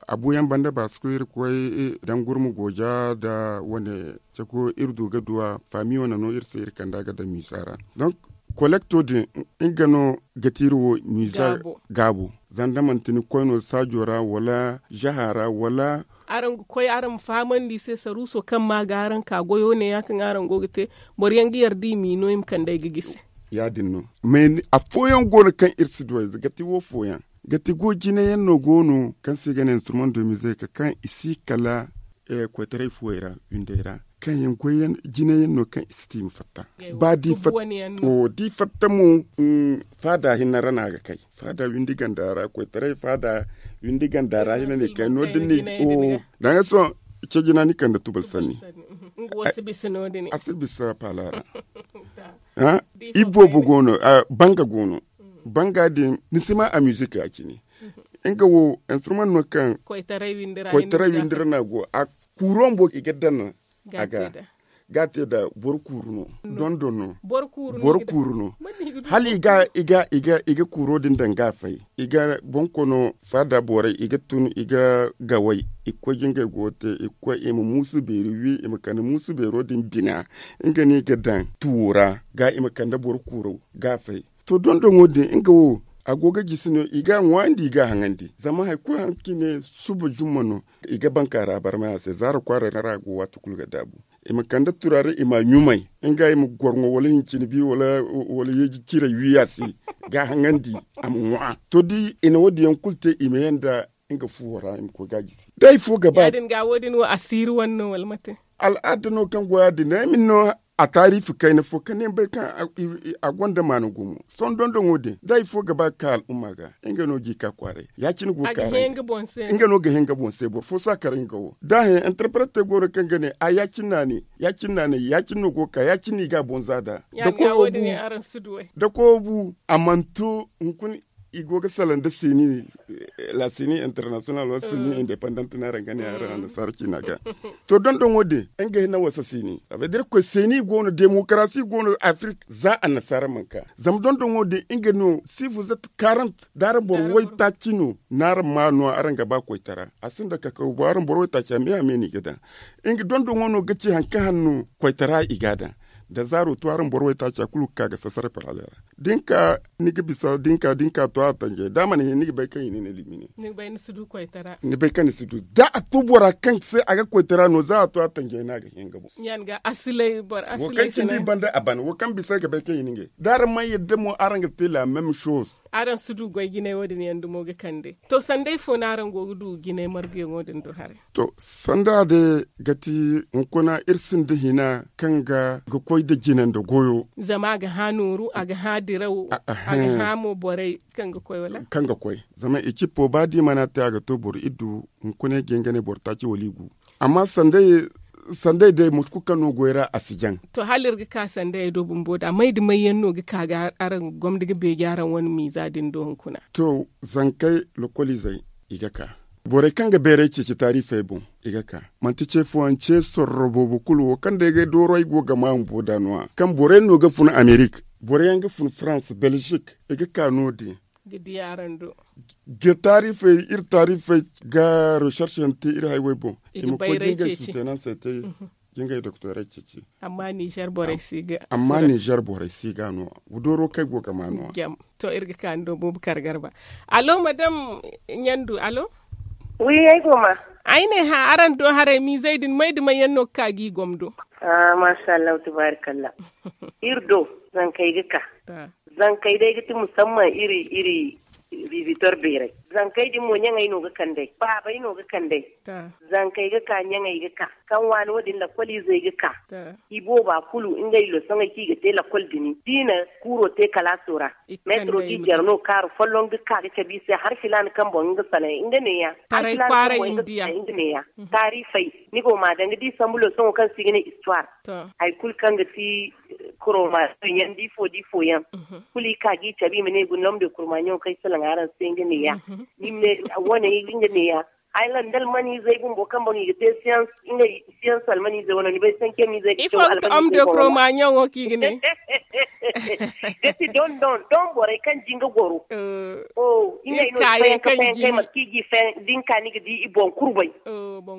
a buuyaŋ banda ba si koy iri koy dangurma gooja nda wane cako iri du ga du a faami wane no iri se iri kanda ga daŋ miisa ra. Donc kolekto din nga no ga ti iri wo miisa gaabo. Zanda manti ni koy no saajo ra wala zaha ra wala araŋ ga koy araŋ ma fahamandi i se saruuso kaŋ ma ga araŋ ka goyo ne ya kaŋ araŋ go ga te. Boro yaŋ ga yarda i m'i no i ma kand'ey ga gisi. Ya- din no mais afooyaŋ go no kaŋ iri si du a ize ga ti wo fooyaŋ ga ti go jinayaŋ no go no kaŋ se i ga ne instrument de musique kaŋ i si kala koytaray fuwey ra windey ra kaŋ yaŋ goy yaŋ jinayaŋ no kaŋ i si te i ma fatta. Ba da i fatta mo faada hinne ra no a ga kay. Faada windi ganda ra koytaray faada windi ganda ra hinne no i kay no- din no i ga. Daŋ ga sohõ ce jina ni kande tubal sanni. A si bisa paala ra. Iboobo go no. Banga go no. Banga din ni si ma a musique ya- cine. Nga wo instrument no kaŋ koytaray windi ra no a go a kuuro bumbo i ga daŋ a ga ga a te nda boro kuuru no. Dondon no boro kuuru no. Hala i ga i ga i ga i ga kuuro din daŋ ga a fay i ga boŋkono faada borey i ga tun i ga gaway i ga koy ga ngey go te i ga koy i ma muusu beeri wi i ma kande muusu beero din bina. Nga no i ga daŋ tuwo ra ga i ma kande boro kuuro ga a fay. To dondoŋo din nga wo a go ga jisi no i ga a ŋwaayandi i ga a haŋandi zama hari kulu hari kaŋ i ne suba jumma no. I ga banka ra barmay a se zaara kwaaray no ra a go waati kulu ga daabu. I ma kande turaare i ma a ɲumay nga i ma gorŋo wala hincine bi wala yeeji ciray wi a se ga a haŋandi a ma ŋwa to da i na wo- din yaŋ kulu te i ma ye nda nga fuwo ra i ma koy ga a jisi. Da hari fo ga ba ya- din ga wo- din wo asiiri wane no wala mate? Al'aada no kaŋ go ya- din no ay ma ni no a taariifi kayna fo kaŋ ni bay kaŋ a gonda maana gumo. Sohõ dondoŋo din da hari fo ga ba ga ka al'umma ga nga no ga i ka kwaaray ya- cine go ga ka ra nga no ga hin nga boŋ se boro fo si a kar nga wo da a hin interprete go no kaŋ ga ne a ya- cine no a ne ya- cine no a ne ya- cine no go ga ka ya- cine no i ga a boŋ za nd'a. Da koyo bu a mana to hunkuna i go ga salaŋ nda seeni la seeni international wala seeni independent no araŋ ga ne araŋ annasaara ciina ga. To dondoŋo din nga hinne wasa seeni a bay da irkoy seeni go no demokarasi go no afirika za annasaara mana ka zama dondoŋo din nga no si vous êtes quarante da araŋ boro waytaaci no no araŋ ma no araŋ ga ba koytara a sinda kakaw bo araŋ boro waytaaci a me a me no i ga daŋ. Nga dondoŋo no ga ci hari kaŋ hanno koytara i ga a daŋ da zaaro to araŋ boro waytaaci a kulu ga ka ga sasaray parale ra. Da ni ka ni ga bisa da ni ka da ni ka to a tanjay da a mana hin ni ga bay kaŋ i ne ni limine. Ni bay ni si du koytara ni bay kaŋ ni si du da a to bora kaŋ se a ga koytara no za a to a tanjay no a ga hin ga boŋ. Wo kaŋ cindi i banda a ban wo kaŋ bisa ga bay kaŋ i ne ngey da araŋ mana yadda mo araŋ ga te la même chose. Araŋ si du goy jinay wo- din yaŋ dumo ga kande. To sanday fo no araŋ go ga du jinay marguyaŋo din do haray? To sanda day ga ti hunkuna iri sinda hina kaŋ ga ga koy nda jina nda goyo. Zama a ga hã nooru a ga hã diraw a ga hã mo borey kaŋ ga koy wala? Kaŋ ga koy zama i cippo ba da i mana te a ga to boro iddu. Hunkuna i ga hin ga ne boro taaci wala i gu. Amma sanday day mate kulu kaŋ no goy ra a si jaŋ. To hala iri ga ka sanday do bumbo da may da may yaŋ no ga ka ga araŋ gomda ga beeji araŋ wane miiza din do hunkuna? To zankey lokoliizey i ga ka. Borey kaŋ ga bayray ceeci taarifey boŋ i ga ka. Manti ce fooyaŋ ce sorro boobo kulu wo kaŋ day ga dooro ay go ga ma bumbo da no- ya kaŋ borey no ga fun amerik, boro yaŋ ga fun farans belzik i ga ka no- din. Ga di araŋ do. Ga taarifey iri taarifey ga recherche yaŋ te iri haywey boŋ i ma koy ga ngey suutenaŋ se te. Ngey doktorey ceeci. Amma nizer borey si ga amma nizer borey si ga no. Dooro kay go ga ma no. To iri ga ka ni do boobo kar garba. Alo madam? Ɲandu alo. Wi ay go ma. Ay ne hã araŋ do haray miizey din may da may yaŋ no ga ka g'i gomdo? Ah masha allah tabaarikalla. Iri do zankey ga ka. Zankey day ga ti musamman iri iri bibitor beeray. Zankey din mo ɲaŋey no ga kand'ey baabey no ga kand'ey. Zankey ga ka ɲaŋey ga ka kaŋ waani wo- din lakkoliizey ga ka. I booba kulu ngey losoŋey kaŋ i ga te lakkol din da i na kuuro te kalaaso ra. Meetiro ga i jare no kaaru folloŋ ga ka ga cabe i se hari filaana kaŋ boŋ nga sanay nga neeya. Hari filaana kaŋ boŋ nga sanay nga neeya. Taarifey ni go ma danga da i sambu losoŋo kaŋ se i ga ne istuwaar. Hari kulu kaŋ ga ti koromaasiyoŋ yaŋ da ifo da ifo yaŋ. Kulu i ka ga i cabe i ma ne guna lomde kurmaaɲo kaŋ ay salaŋ araŋ se nga neeya. Ni ma ne wane nga neeya. Ay landa almaniizey bumbo kaŋ boŋ i ga te siyans ngey siyans almaniizey wano ni bay sankemiizey ga te almaniizey bumbo. Ifo ga te om de kurmaaɲo wo kaŋ i ga ne. Ga ti don don don borey kaŋ jinga goro. Ngey no i fayanka fayanka ay mate kaŋ i ga i fayanka da ni ka ni ga di i boŋ kurbay.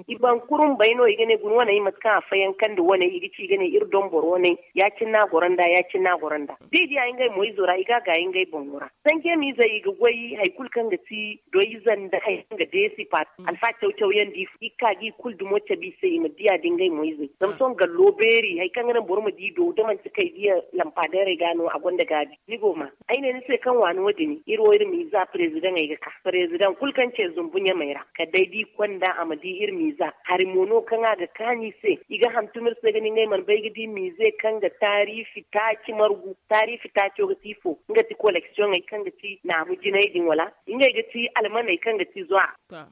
I boŋ kurbay no i ga ne guna wane i mate kaŋ a fayankandi wane i ga ci i ga ne iri don boro wane. Ya- cine no a goro nd'a ya- cine no a goro nd'a da i diya ngey mo izo ra i ga a gaayi ngey boŋo ra. Sankemiizey i ga goy hari kulu kaŋ ga ti doyze nda hari kaŋ ga deesi paati alfa caw caw yaŋ da i ga ka ga i kulu dumo cabe i se i ma diya da ngey mo izey zama sohõ gallo beeri hari kaŋ ga naŋ boro ma di do da manti kay diya lampadeerey ga no a gonda gaabi. Ni go ma ay ne ni se kaŋ waani wo- din iri wo iri miiza parezidaŋey ga ka parezidaŋ kulu kaŋ ce zumbu ɲamey ra kala day da i konda a ma di iri miiza hari mo no kaŋ a ga kaanu i se i ga hantum iri se ga ne ngey mana bay ga di miize kaŋ ga taariifi taaci margu. Taariifi taaco ga ti ifo? Nga ti koleksiyoŋey kaŋ ga ti naamu jinay din wala ngey ga ti almaney kaŋ ga ti zuwa.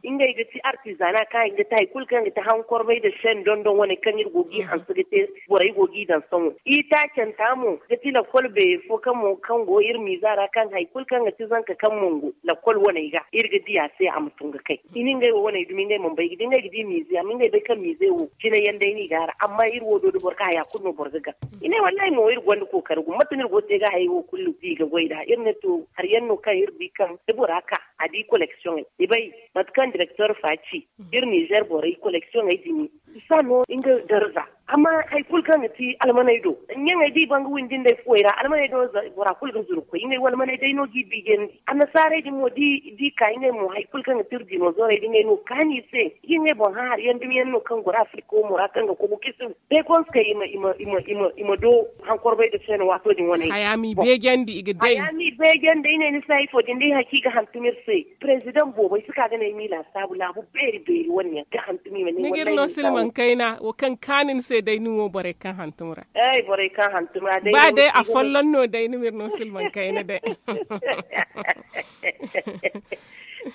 Ngey ga ti artizana kaŋ i ga ti hari kulu kaŋ ga ti hankorbay nda sendondon wane kaŋ iri go ga i hanse ga te borey go ga i daŋ sohõ i taacanta mo ga ti lakkol beeri fo kaŋ mo kaŋ go iri miiza ra kaŋ hari kulu kaŋ ga ti zanka kaŋ mongo lakkol waney ga iri ga di a se a ma tun ga kay. I na ngey wo waney dumi ngey mana bay ga di ngey ga di miize amma ngey bay kaŋ miize wo jinay yaŋ day no i ga a ra amma iri wo do da boro ga haya kulu no boro ga gar. I ne wallahi mo iri gonda kookari gumo mate no iri go ga te ga hayey wo kulu no i ga goy nd'a iri ne to hari yaŋ no kaŋ iri di kaŋ da bora ka a di koleksiyoŋey i bay mate kaŋ direktor fa ci. Iri nizer borey koleksiyoŋey din i si a no nga darza. Amma hari kulu kaŋ ga ti almaney do ɲaŋey da i ban ga windi nd'ey fuwey ra almaney do bora kulu ga zuru ga koy ngey wo almaney day no ga i biijandi annasaarey din mo da i ka ngey mo hari kulu kaŋ ga ti iri dinozoorey da ngey no ga kaanu i se i ga ngey boŋ hã hari yaŋ dumi yaŋ no kaŋ goro afirika wo mo ra kaŋ ga kogu kisu day konse kay i ma i ma i ma i ma i ma do hankorbay nda seeno waato din wane haya ma i beejandi i ga day haya ma i beejandi ay ne ni se hari fo din da i haci ga hantum iri se. Parezidaŋ boobo ay si ka ga ne ay ma i laasaabu laabu beeri beeri wane yaŋ ga hantum i ma ne ni ga iri no silmaŋ kayna wo kaŋ kaanu ni se day ni wo borey kaŋ hantum ra ay borey kaŋ hantum ra day ba day afolloŋ no day ni ma iri no silmaŋ kayna day.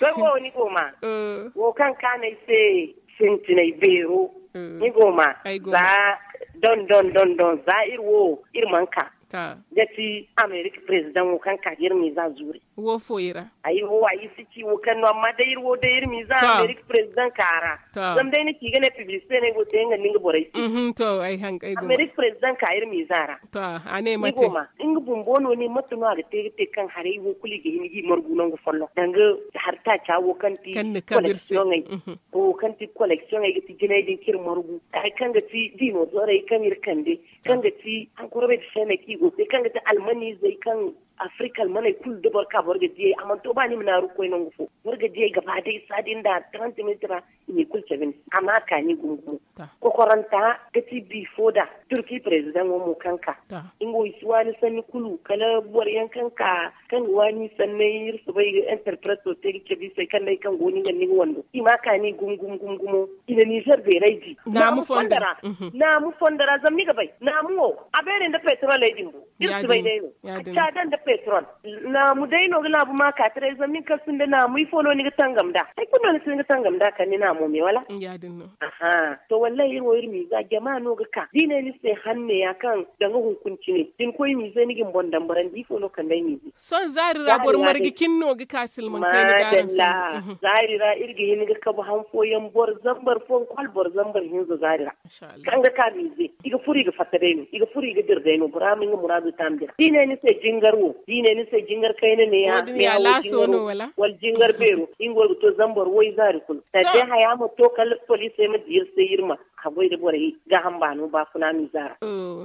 Sohõ wo ni go ma wo kaŋ kaanu ay se sintinay beero ni go ma za don don don don za iri wo iri mana ka ga ti amerika parezidaŋo kaŋ ka ga iri miiza zuuri. Wo fo i ra ay wo ay si ci wo kaŋ no amma day iri wo day iri miiza amerika parezidaŋ ka ra zama day ni ci ga ne piblisite no ay go te nga nda nga borey se. Amerika parezidaŋ ka iri miiza ra. To a ne mate nga bumbo no ne mate no a ga te ga te kaŋ haray wo kulu i ga hin ga i margu nangu folloŋ danga hari taaca wo kaŋ ti koleksiyoŋey wo kaŋ ti koleksiyoŋey ga ti jinay din kaŋ iri margu hari kaŋ ga ti dinozoorey kaŋ iri kande kaŋ ga ti hankorobey da seeney kaŋ i go te kaŋ ga ti almaniizey kaŋ afirika almaney kulu da boro ka boro ga diyey a mana to ba ni ma naaru ga koy nangu fo boro ga diyey gaba day saadi nda trente minutes ra i n'i kulu cabe ni se a ma a kaani gumo gumo. Kokoranta ga ti biifo da turki parezidaŋo mo kaŋ ka nga wo i si waani sanni kulu kala boro yaŋ kaŋ ka kaŋ ga waani sanney iri soobay ga interpreto te ga cabe i se kaŋ day kaŋ go no i ga ni ga wando i ma a kaani gumo gumo gumo gumo. I na nizer beeray di naamu fondo ra. Naamu fondo ra zama ni ga bay naamu wo a beeray nda petroley din bo iri si bay day no. Caada nda petrol naamu day no ga laabu ma ka taray zama nin kaŋ sinda naamu ifo no ni ga tangam nd'a hari kulu no ni si ni ga tangam nd'a kala ni naamo me wala. Aha to wallahi iri wo iri miiza jama no ga ka da i ne ni se hanne ya kaŋ danga hunkuna cine da ni koy miize ni ga ni boŋ dambarandi ifo no kande ay miize. Sohõ zaari ra boro marga cine no ga ka silmaŋ kayna ga araŋ se. Zaari ra iri ga hin ga kabu han fooyaŋ boro zambar fooyaŋ kulu hala boro zambar hinza zaari ra. Kaŋ ga ka miize i ga furo i ga fatta day no i ga furo i ga dira day no bora ma nga muraadu taambi ra da i ne ni se jingar wo. Da i ne ni se jingar kayna ne ya laaso no wala wala jingar beero, nga go ga to zambar way zaari kulu. Kala day haya ma to kala poliisey ma di iri se iri ma haggoy da borey gaaham baano baafuna miiza ra.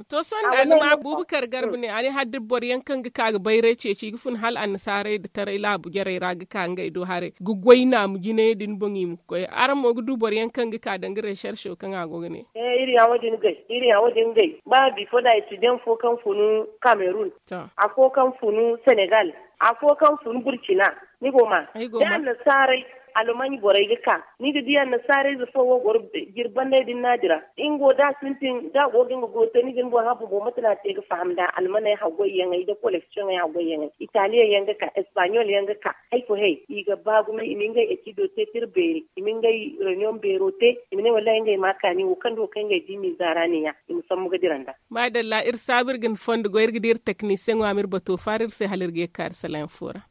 To sohõ da ni ma bubakar garba ne a ne hala da boro yaŋ kaŋ ga ka ga bayray ceeci i ga fun hala annasaarey nda taray laabu jarey ra ga ka ngey do haray ga goy naamu jinayey din boŋ i ma koy araŋ mo ga du boro yaŋ kaŋ ga ka danga recherche kaŋ a go ga ne. Iri ya wo- din gay iri ya wo- din gay ba bifo da etidiyaŋ fo kaŋ funu kamerun, afo kaŋ funu senegal, afo kaŋ funu burkina. Ni go ma da annasaarey almanya borey ga ka ni ga di annasaarey ze fo wo goro jiri bandey din naadi ra. Nga wo da a sintin da a go ga nga goy te ni ga ni boŋ habu boŋ mate no a te ga faham nda almaney haggoy yaŋey nda koleksiyoŋey haggoy yaŋey italiyaŋ yaŋ ga ka espaɲol yaŋ ga ka. Hay fo hay i ga ba gumo i ma ngey etido te tira beeri i ma ngey reniyoŋ beero te. I ma ne wallahi ngey ma kaani wo kaŋ do kaŋ ngey di miiza ra ne ya i ma sambu ga dira nda. Maadalla iri saabu iri ga ni fondo goy iri ga di iri teknisiyeŋo a ma iri bato faara iri se hala iri ga ye ga kaari salayaŋ fo ra.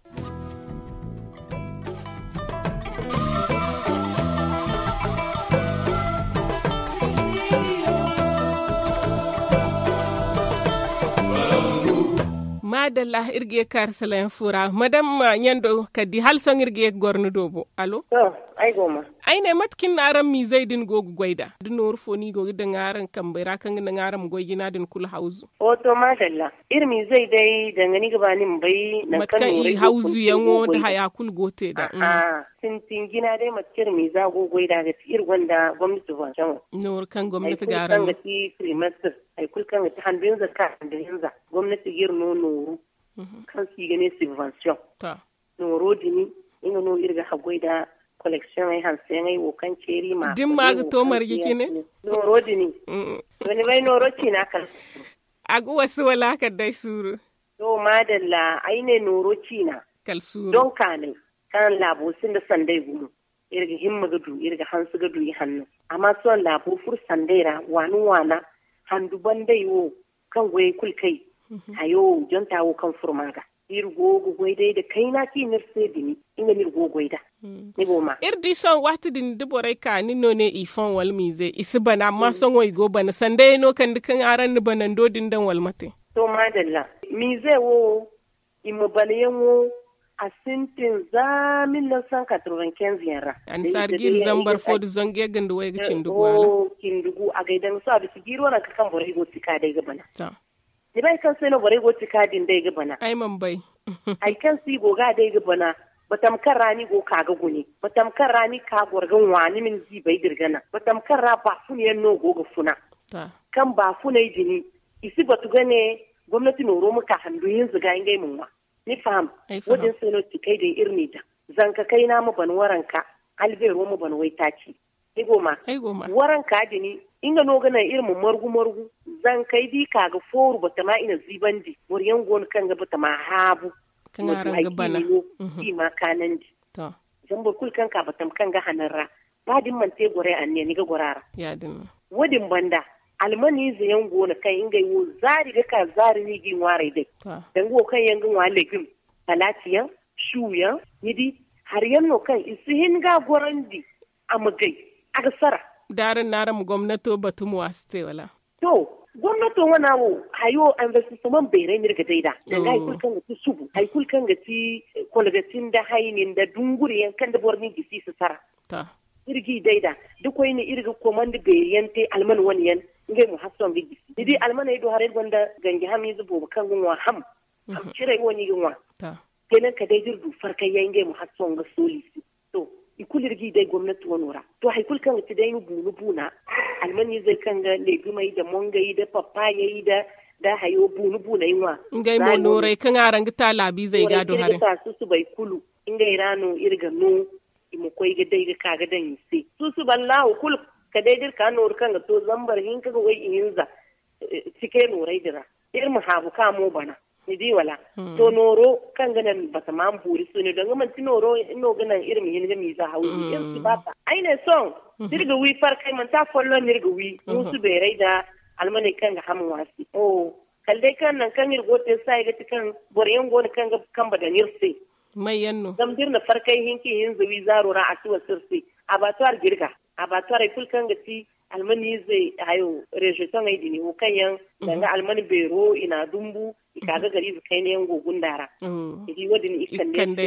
Maadalla iri ga ye ga kaari salayaŋ fo ra madam ɲando kala di hala sohõ iri ga ye ga goro ni do bo alo. Ay ne mate kaŋ ni na araŋ miizey din go ga goy nd'a da nooru fo no i go ga daŋ araŋ kambey ra kaŋ ga naŋ araŋ ma goy jina din kulu hawzu? Wo to maadalla iri miizey day danga ni ga ba ni ma bay nangu kaŋ i hawzuyaŋo nda haya kulu go te nd'a. Sintin jina day mate kaŋ iri miiza go ga goy nd'a ga ti iri gonda gomnati subvention nooru kaŋ gomnati ga araŋ no ga ti primatir. Hari kulu kaŋ ga ti handu hinza ga ka handu hinza gomnati ga iri no nooru kaŋ se i ga ne subvention. Nooro din nga no iri ga haggoy nda koleksiyoŋey hanseyaŋey wo kaŋ ceeri ma da ni ma ga to marje cine. Nooro din to ni bay nooro ciina kala suuru. A ga wasu wala a kala day suuru. To maadalla ay ne nooro ciina kala suuru don kaanay kaŋ laabo sinda sanday gumo. Iri ga himma ga du iri ga hanse ga du ihanno. Amma sohõ laabo furo sanday ra waani waana handu banday wo kaŋ goyey kulu kay hayo jonta wo kaŋ furo ma ga iri go ga goy day nda kayna kaŋ i ne iri se bine. Nga no iri go ga goy nd'a. Ni go ma iri di sohõ waati din da borey ka ni no ne i foŋ wala miize i si bana amma sohõ i go bana sanda yaŋ no kande kaŋ araŋ na banando din daŋ wala mate? To maadalla, miize wo i ma bana yaŋo a sintin za mille neuf cent quatre-vingt-quinze yaŋ ra. Annasaari jiiri zambar fo nda zangu yagga nda wayga cindi gu a ra. Cindi gu a gay daŋ sohõ a bisa jiiri waranka kaŋ borey go ga ti ka day ga bana. Ni bay kaŋ se no borey go ga ti ka din day ga bana? Ay mana bay. Hari kaŋ se i go ga day ga bana, batam kaŋ ra ni go ga ka ga gune, batam kaŋ ra ni ga ka goro ga ŋwa ni ma ni ziibay dira ga naŋ, batam kaŋ ra baafuna yaŋ no go ga funa. Kaŋ baafunay din i si batu ga ne gomnati nooro ma ka handu hinza ga ngey ma ŋwa. Ni faham? Wo- din se no tikey din iri n'i daŋ. Zanka kayna ma ban waranka, albeero ma ban waytaaci. Ni go ma waranka din nga no ga naŋ iri ma margu margu. Zankey da i ka ga fooru batama i na ziibandi boro yaŋ go no kaŋ ga batama haabu. Kaŋ araŋ ga bana. I ma kaanandi. Zama boro kulu kaŋ ka batama kaŋ ga hanan ra ba da ni mana te goro anniya ni ga goro a ra. Wo- din banda almaniize yaŋ go no kaŋ ngey wo zaari ga ka zaari no i g'i ŋwaaray day. Danga wo kaŋ yaŋ ga ŋwa legim, palaati yaŋ, su yaŋ, ni di hari yaŋ no kaŋ i si hin ga a gorandi. A ma gay a ga sara. Da araŋ na araŋ ma gomnato batu mo a si te wala? To, gomnato wana wo hayo investissement beeray no iri ga day nd'a. Danga hari kulu kaŋ ga ti subu, hari kulu kaŋ ga ti kolgati nda hayni nda dunguri yaŋ kaŋ da boro n'i gisi i si sara. Iri g'i day nd'a da koyne iri ga komandi beeri yaŋ te alman wane yaŋ. Ngey mo hari sohõ ga gisi ni di almaney do haray gonda ganji hamiize boobo kaŋ ga ŋwa ham. Ham ciray wo no i ga ŋwa. Kenan ka day da iri du farkay yaŋ ngey mo hari sohõ ga sooli i se. To, i kulu iri g'i day gomnati wano ra. To hari kulu kaŋ ga ti day ma buuna buuna, almaniizey kaŋ ga legimey nda mongey nda papaayey nda hayo buuna buuney ŋwa. Ngey mo nooray kaŋ araŋ ga ta laabiizey ga do haray. Susubay kulu ngey ra no iri ga no. I ma koy ga day ga ka ga daŋ i se susuba allahu kulu. Ka day da iri ka nooru kaŋ ga to zambar hinka ga way ihinza. Cike nooray din ra iri ma haabu ka mo bana. Ni di wala? To nooro kaŋ ga naŋ batama ma boori suune danga manti nooro no ga naŋ iri ma hin ga miiza hawzu iri si ba ta ay ne sohõ. Da iri ga wi farkay manti afolloŋ no iri ga wi muusu beeray nda almaney kaŋ ga ham ŋwa se. Kala day kaŋ nangu kaŋ iri go ga te saaya ga ti kaŋ boro yaŋ go no kaŋ ga kambe daŋ iri se. May yaŋ no? Zama da iri na farkay hinka ihinza wi zaaro ra a si wasa iri se. Abattoir ga iri ga. abatwarey kulu kaŋ ga ti almaniizey hayo rezotoŋey din wo kaŋ yaŋ danga alman beero i na a dumbu, i ka ga gariize kayna yaŋ go gunda ra. I di wo- din i kande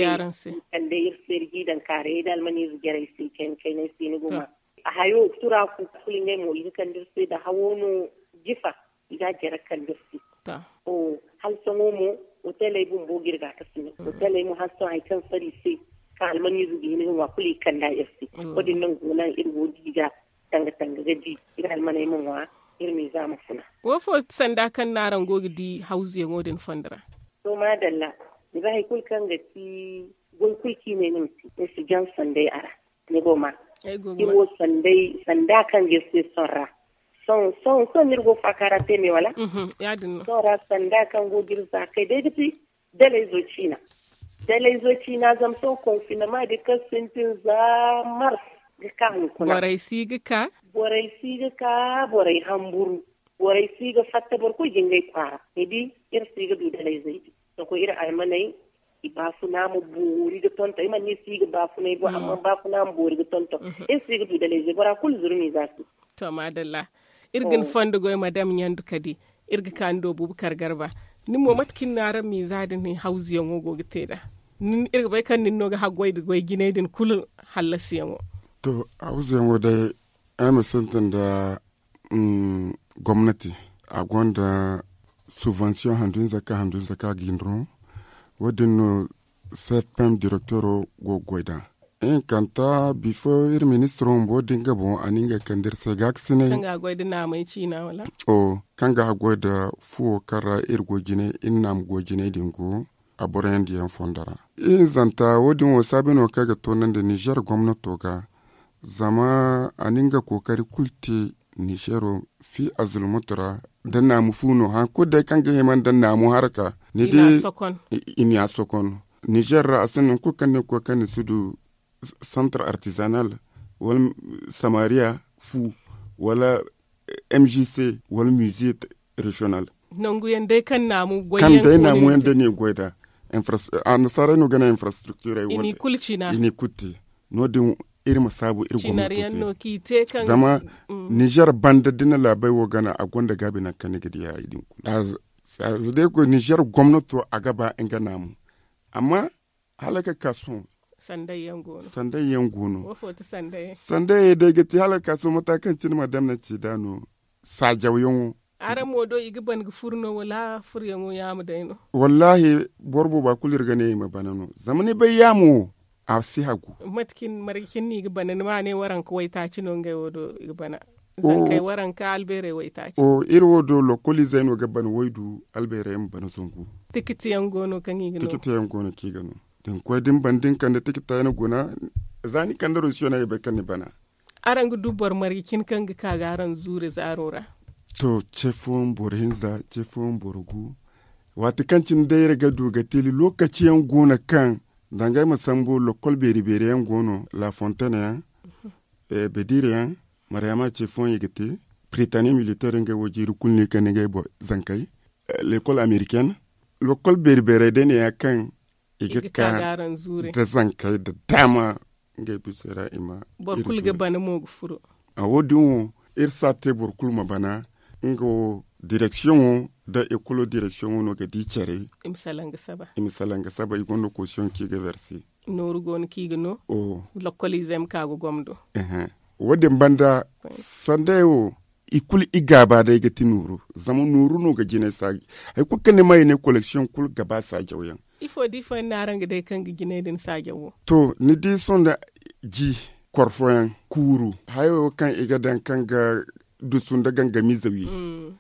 iri se iri g'i daŋ kaarayey nda almaniize jarey se kayna kaynay se ni go ma. A hayo turaku kulu ngey mo i ga kande iri se nda hawo no jifa, i ga a jare kande iri se. Hala sohõ mo, hoteley bumbo ga iri ga ka sine hoteley mo hala sohõ hari kaŋ sara i se, kaŋ almaniize ga hin ga ŋwa kulu i kanda iri se. Wo- din no go naŋ iri go ga i ga tanga tanga ga di, iri almaney ma ŋwa, iri miiza ma funa. Wo fo sanda kaŋ no araŋ go ga di hawzuyaŋo din fondo ra? To maadalla, ni bay hari kulu kaŋ ga ti goy kulu kaŋ i ne ni ma te, ni si jaŋ sanday a ra. Ni go ma iri wo sanday sanda kaŋ ga iri se sohõ ra. Sohõ sohõ sohõ no iri go faaka ra te me wala? Sohõ ra sanda kaŋ go ga iri za kay day ga ti dalayzo ciina. Dalayzo ciina zama sohõ konfinama din kaŋ sintin za mars ga ka hunkuna. Borey si ga ka borey si ga ka borey hamburu. Borey si ga fatta boro kulu ga ngey kwaara ni di. Iri si ga du dalayzey din. Sohõ iri almaney i baafuna ma boori ga tonton i mana ne si ga baafunay bo amma baafuna ma boori ga tonton. Iri si ga du dalayzey bora kulu zurmi za si. To maadalla. Iri ga ni fondo goy madam ɲandu kadi. Iri ga ka ni do bubakar garba. Nin mo mate kaŋ ni na araŋ miiza din hawzuyaŋo go ga te nd'a? Iri ga bay kaŋ nin no ga haggoy nda goy jinay din kulu hallasiyaŋo. To, hawzuyaŋo day ay ma sintin nda gomnati a gonda subvention handu hinza ka handu hinza ka ga i no. Wo- din no cfpm direktoro go ga goy nd'a. Ihinkanta bifo iri ministiro bumbo din ga boŋ a na ngey kande iri se gaakasinay. Kaŋ ga haggoy nda fuwo kaŋ ra iri go jinay iri naamu go jinay din go a boroyaŋ diyaŋ fondo ra. Ihinzanta wo- din wo saabi no kaŋ ay ga toonandi nizer gomnato ga. Zama a na nga kookari kulu te nizero fi azulmutu ra. Da naamu fu no hari kulu day kaŋ ga hima nda naamu haraka ni di. I na a sokon. Nizer ra a sinda hari kulu kaŋ ni ga koy kaŋ ni si du santar artizanal wala samariya fu wala mgc wala mize reziyonal. Nangu yaŋ day kaŋ naamu goy yaŋ da ni ga goy nd'a. Annasaarey no ga ne infrastriktirey wo- din i n'i kulu te. No- din iri ma saabu iri gomnato se. Zama nizer banda da ni na laabey wo gana a gonda gaabi nangu kaŋ ni ga diya i din kulu. Za day koy nizer gomnato a ga ba nga naamu. Amma hala ga ka sohõ sandayyaŋ go no. Sandayyaŋ day ga te hala ga ka sohõ mata kaŋ cine madam na ci nd'a no. Saajawyaŋo. Araŋ mo do i ga ban ga furo no wala furoyaŋo yaamo day no? Wallaahi, boro booba kulu iri ga ne i ma bana no zama ni bay yaamo wo a si hagu. Mate cine marje cine no i ga bana ni ma ne waranka waytaaci no ngey wo do i ga bana. Zankey waranka albeerey waytaaci. Iri wo do lokoliizey no ga bana waydu albeerey ma bana zangu. Tikitiyaŋ go no kaŋ i ga no. Tikitiyaŋ go no kaŋ i ga no. Da ni koy da ni bana da ni kande tikita yaŋ guna. Za ni kande rosiyoney i bay kaŋ ni bana. Araŋ ga du boro marje cine kaŋ ga ka ga araŋ zuure zaaro ra? To, ce fooyaŋ boro hinza, ce fooyaŋ boro gu. Waati kaŋ cine day iri ga du ga teeli lookaci yaŋ go no kaŋ danga ay ma sambu lokol beeri beeri yaŋ go no la fontaine yaŋ, bediire yaŋ, mariyama ce fooyaŋ i ga te. Piritani militeer ngey wo jiiri kulu no i kande ngey zankey. Lekol ameriken lokol beeri beerey day ne ya kaŋ i ga ka da zankey da daama. Ngey bisa ra i ma boro kulu ga bana mo ga furo. A wo- din wo iri si a te boro kulu ma bana. Nga wo direksiyoŋo nda ekolo direksiyoŋo no ga di care. I ma salaŋ ga saba i gonda kosiyoŋ kaŋ i ga verse. Nooru go no kaŋ i ga no. Lokoliizey ma ka ga gomdo. Wo- din banda sandey wo i kulu i gaaba day ga ti nooru. Zama nooru no ga jinay saaji. Hari kulu kaŋ ni ma i ne koleksiyoŋ kulu ga ba saajawyaŋ. Ifo da ifo yaŋ no araŋ ga day kaŋ ga jinay din saajaw wo? To, ni di sohõ nda ji korfoyaŋ kuuru hayo kaŋ i ga daŋ kaŋ ga dusu nda gangamiize wi.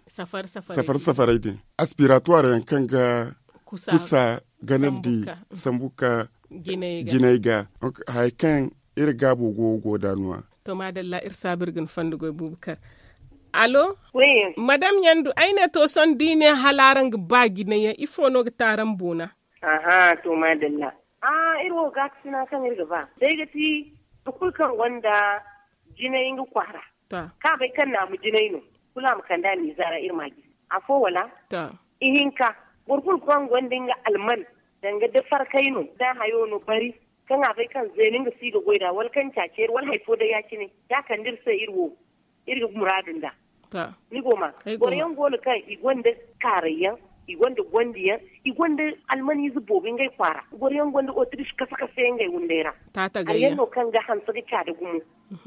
Safar safaray din aspiratuwaar yaŋ kaŋ ga kusa ganandi sambu ka jinay ga. Hari kaŋ iri gaabo go go da nuwa. To maadalla iri saabu iri ga ni fondo goy buubu kar. Allo? Madam ɲandu ay ne to sohõ da i ne hala araŋ ga ba jinay yaŋ ifo no ga te araŋ boona? Aha to maadalla. Iri wo gaakasina kaŋ iri ga ba day ga ti boro kulu kaŋ gonda jinay nga kwaara kaŋ a bay kaŋ naamu jinay no kulu a ma kande a miiza ra iri ma a jisi. Afo wala? Ihinka boro kulu kaŋ gonda nga alman danga da farkay no da hayo no bari. Kaŋ a bay kaŋ zeena nga si ga goy nd'a wala kaŋ caaci iri wala hari fo day ya- cine, ya kande iri se iri wo iri ga muraadu nd'a. Ni go ma boro yaŋ go no kaŋ i gonda kaaray yaŋ, i gonda gondi yaŋ, i gonda almaniize boobo ngey kwaara. Boro yaŋ gonda otrish kasa kasa yaŋ ngey wunday ra. Hari yaŋ no kaŋ ga hanse ga caada gumo.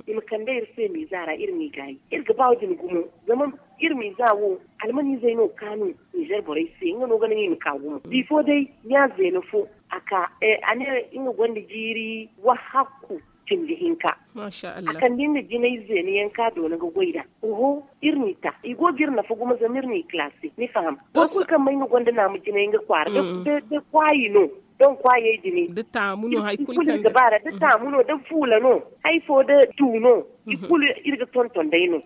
I ma kande iri se miiza ra iri m'i gaayi iri ga ba wo- din gumo. Zama iri miiza wo almaniizey no kaanu ninzeer borey se nga no ga naŋ i ma ka gumo bifo day. Ɲa zeena fo a ka a ne nga gonda jiiri wahakku cindi hinka. A kande nga jinay zeena yaŋ ka doona ga goy nd'a. Oho, iri n'i ta i go ga iri nafa gumo zama iri n'i kalaasi ni faham. Boro kulu kaŋ may nga gonda naama jinay nga kwaara da kwaayi no. Don kwaayey din da taamu no hari kulu kaŋ ga baara da taamu no da fuula no hari fo da tu no. I kulu iri ga tonton day no.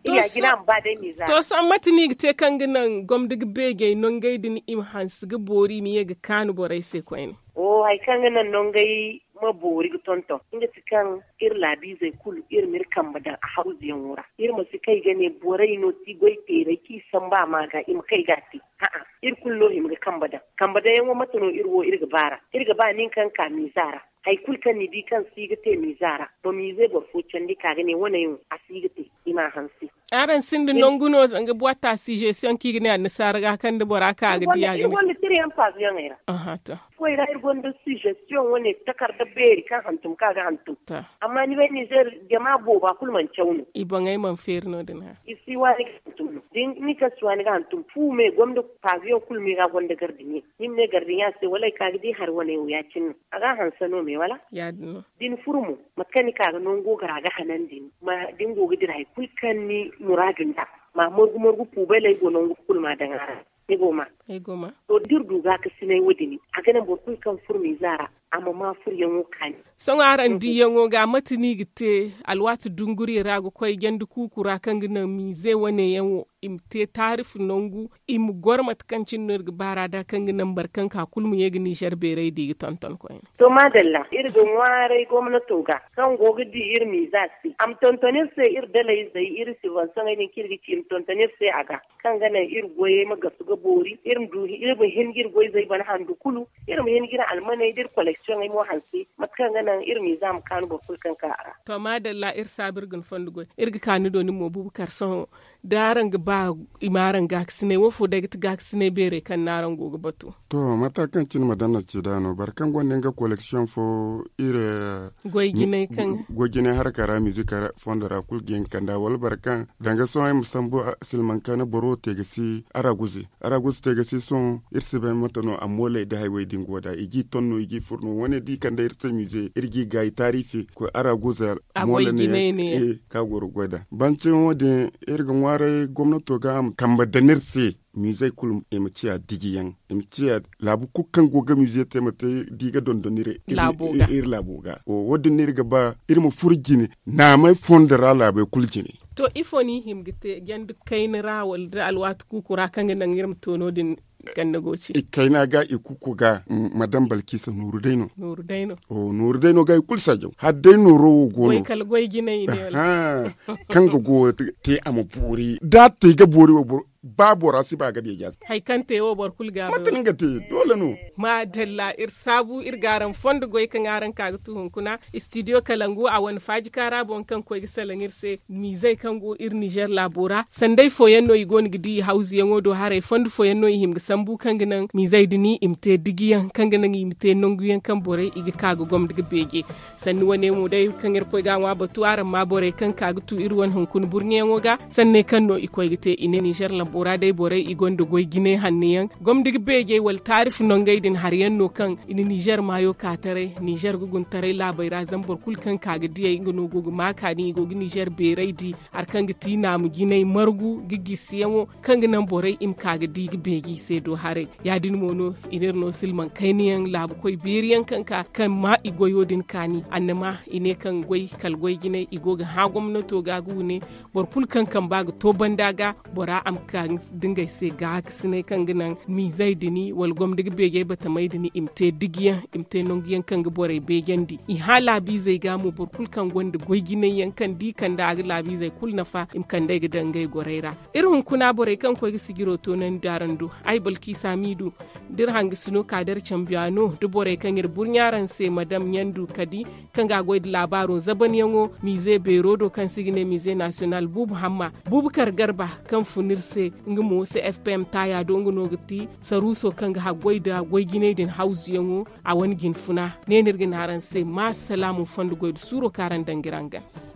Iya jina ma ba day miiza. To sohõ mate no i ga te kaŋ ga naŋ gomda ga beejey nongey din i ma hanse ga boori i ma ye ga kaanu borey se koyne? Oho hari kaŋ ga naŋ nongey ma boori ga tonton nga ti kaŋ iri laabiizey kulu iri ma iri kambe daŋ a hawzuyaŋo ra. Iri ma si kay ga ne borey no ti goy teeray kaŋ i sambu a ma ga i ma kay ga a te. Iri kulu no hima ga kambe daŋ kambe daŋyaŋo mate no iri wo iri ga baara? Iri ga ba nin kaŋ ka miiza ra hari kulu kaŋ ni di kaŋ si ga te miiza ra ma miize boro fo candi ka ga ne wane yaŋ a si ga te. I m'a hanse. Araŋ sinda nangu no zanga buwatta sijesiyoŋ kaŋ i ga ne annasaara ga kaŋ da bora ka ga di a ga ne. Iri gonda tiriyaŋ paazuyaŋey ra. Foy ra iri gonda sijesiyoŋ wane takarda beeri kaŋ hantum kaŋ a ga hantum. Amma ni bay nizeer jama booba kulu mana caw no. I boŋey mana feeri no- din. I si waani ga hantum no da ni kaŋ si waani ga hantum fu me gomda paazuyaŋ kulu me ga gonda gardiɲe. Ni ma ne gardiɲe a se wala ay ka ga di hari wane wo ya- cine no. A ga a hanse no me wala? Da ni furu mo mate kaŋ ni ka ga nango ga ra ga hanandi ni ma da ni go ga dira hari kulu kaŋ ni muraadu nd'a. Ma margu margu puubeley go nangu kulu ma daŋ a ra. Ni go ma. To da iri du gaakasinay wo- din a ga naŋ boro kulu kaŋ furo miiza ra a ma ma furoyaŋo kaani. Sohõ araŋ diiyaŋo ga mate no i ga te alwaati dunguriyaŋ ra ga koy janda kuuku ra kaŋ ga naŋ miize wane yaŋ wo i ma te taarifu nangu i ma goro mate kaŋ cine no iri ga baara nd'a kaŋ ga naŋ boro kaŋ ka kulu ma ye ga nizer beeray da i ga tonton koyne. To maadalla iri ga ŋwaaray gomnato ga kaŋ go ga di iri miiza se a ma tonton iri se iri dalayzey iri sibansaŋey din kaŋ iri ga ci i ma tonton iri se a ga kaŋ ga naŋ iri goyey ma gasu ga boori iri ma hin ga iri goyzey bana handu kulu. Iri ma hin ga iri almaney da iri koleksiyoŋey mo hanse mate kaŋ ga naŋ iri miiza ma kaanu boro kulu kaŋ ka a ra. To maadalla iri saabu iri ga ni fondo goy iri ga ka ni do nin mo buubu kar sohõ da araŋ ga ba i ma araŋ gaakasinay wo fo day ga ti gaakasinay beeray kaŋ no araŋ go ga batu? To mata kaŋ cine ma daŋ na ci da no boro kaŋ gonda nga koleksiyoŋ fo iri goy jinay harka ra mizik fondo ra kulu ga hin kanda wala boro kaŋ danga sohõ ay ma sambu silmaŋ kaani boro te ga si araguze araguze te ga si sohõ iri si bay mate no a mooley da haywey din go da i g'i ton no i g'i fur no wane da i kande iri se mize iri g'i gaayi taariifi koy araguze moole ne ka goro goy da banci wo- din iri ga ŋwaaray gomnato ga a ma kambe daŋ iri se mizey kulu i ma ciya dijiyaŋ i ma ciya laabu kulu kaŋ go ga mize te ma te da i ga dondon iri laabo ga wo- din no iri ga ba iri ma furo jine naamey fondo ra laabey kulu jine. To ifo no i hima ga te janda kayna ra wala da alwaati kuuku ra kaŋ ga naŋ iri ma to no- din? Ganda go ci i kayna ga i kuuku ga madam balkisa nooru day no. Nooru day no ga i kulu sajaw hala day nooro wo go no. Kaŋ ga go te a ma boori da a te ga boori wo boro ba bora si ba ga deeja se. Hari kaŋ te wo boro kulu ga mate no nga te doole no. Maadalla iri saabu iri ga araŋ fondo goy kaŋ araŋ ka ga tu hunkuna istidiyo kalangu a wane faajika ra boŋ kaŋ koy ga salaŋ iri se miizey kaŋ go iri nizer laabo ra sanday fooyaŋ no i go no ga di i hawzuyaŋo do haray fondo fooyaŋ no i hima ga sambu kaŋ ga naŋ miizey din i ma te digiyaŋ kaŋ ga naŋ i ma te nanguyaŋ kaŋ borey i ga ka ga gomda ga beeje. Sanni wane mo day kaŋ iri koy ga a ŋwa batu araŋ ma borey kaŋ ka ga tu iri wane hunkuna burɲeyaŋo ga sanney kaŋ no i koy ga te i ne nizer lambo ra day borey i gonda goy jinay hanno yaŋ gomdi ga beejey wala taarifu nongey din hari yaŋ no kaŋ i na nizer maayo ka taray nizer ga guna taray laabey ra zama boro kulu kaŋ ka ga diyey nga no go ga ma kaani i go ga nizer beerey di. Hari kaŋ ga ti naamu jinay margu ga gisiyaŋo kaŋ ga naŋ borey i ma ka ga di ga beeji i se do haray. Ya- din mo no i n'iri no silmaŋ kayna yaŋ laabu koy beeri yaŋ kaŋ ka kaŋ ma i goyo din kaani annama i ne kaŋ goy kala goy jinay i go ga hã gomnato ga ga wune boro kulu kaŋ kamba ga to banda ga bora a ma. da ngey se gaakasinay kaŋ ga naŋ miizey din wala gomni ga beejey batamey din i ma te digiyaŋ, i ma te nangu yaŋ kaŋ ga borey beejandi. I hã laabiizey ga mo boro kulu kaŋ gonda goy jinay yaŋ kaŋ da i kande a ga laabiizey kulu nafa i ma kand'ey ga daŋ ngey gorey ra. Iri hunkuna borey kaŋ koy ga sijiro toonandi araŋ do, ay balkiisa miidu, da iri hangasino ka da iri cambiyaano da borey kaŋ iri burɲa araŋ se madam ɲandu kadi, kaŋ ga a goy nda laabaaro zabanyaŋo miize beero do kaŋ se i ga ne miize nasiyonal buubu hamma, buubukar garba, kaŋ fun iri se, nga mo cfpm taaya do nga no ga ti saruuso kaŋ ga haggoy nda goy jinay din hawzuyaŋo. A wane jinfuna ne no iri ga ne araŋ se ma salaamu fondo goy nda suuro kaŋ araŋ daŋ ga iri hangan.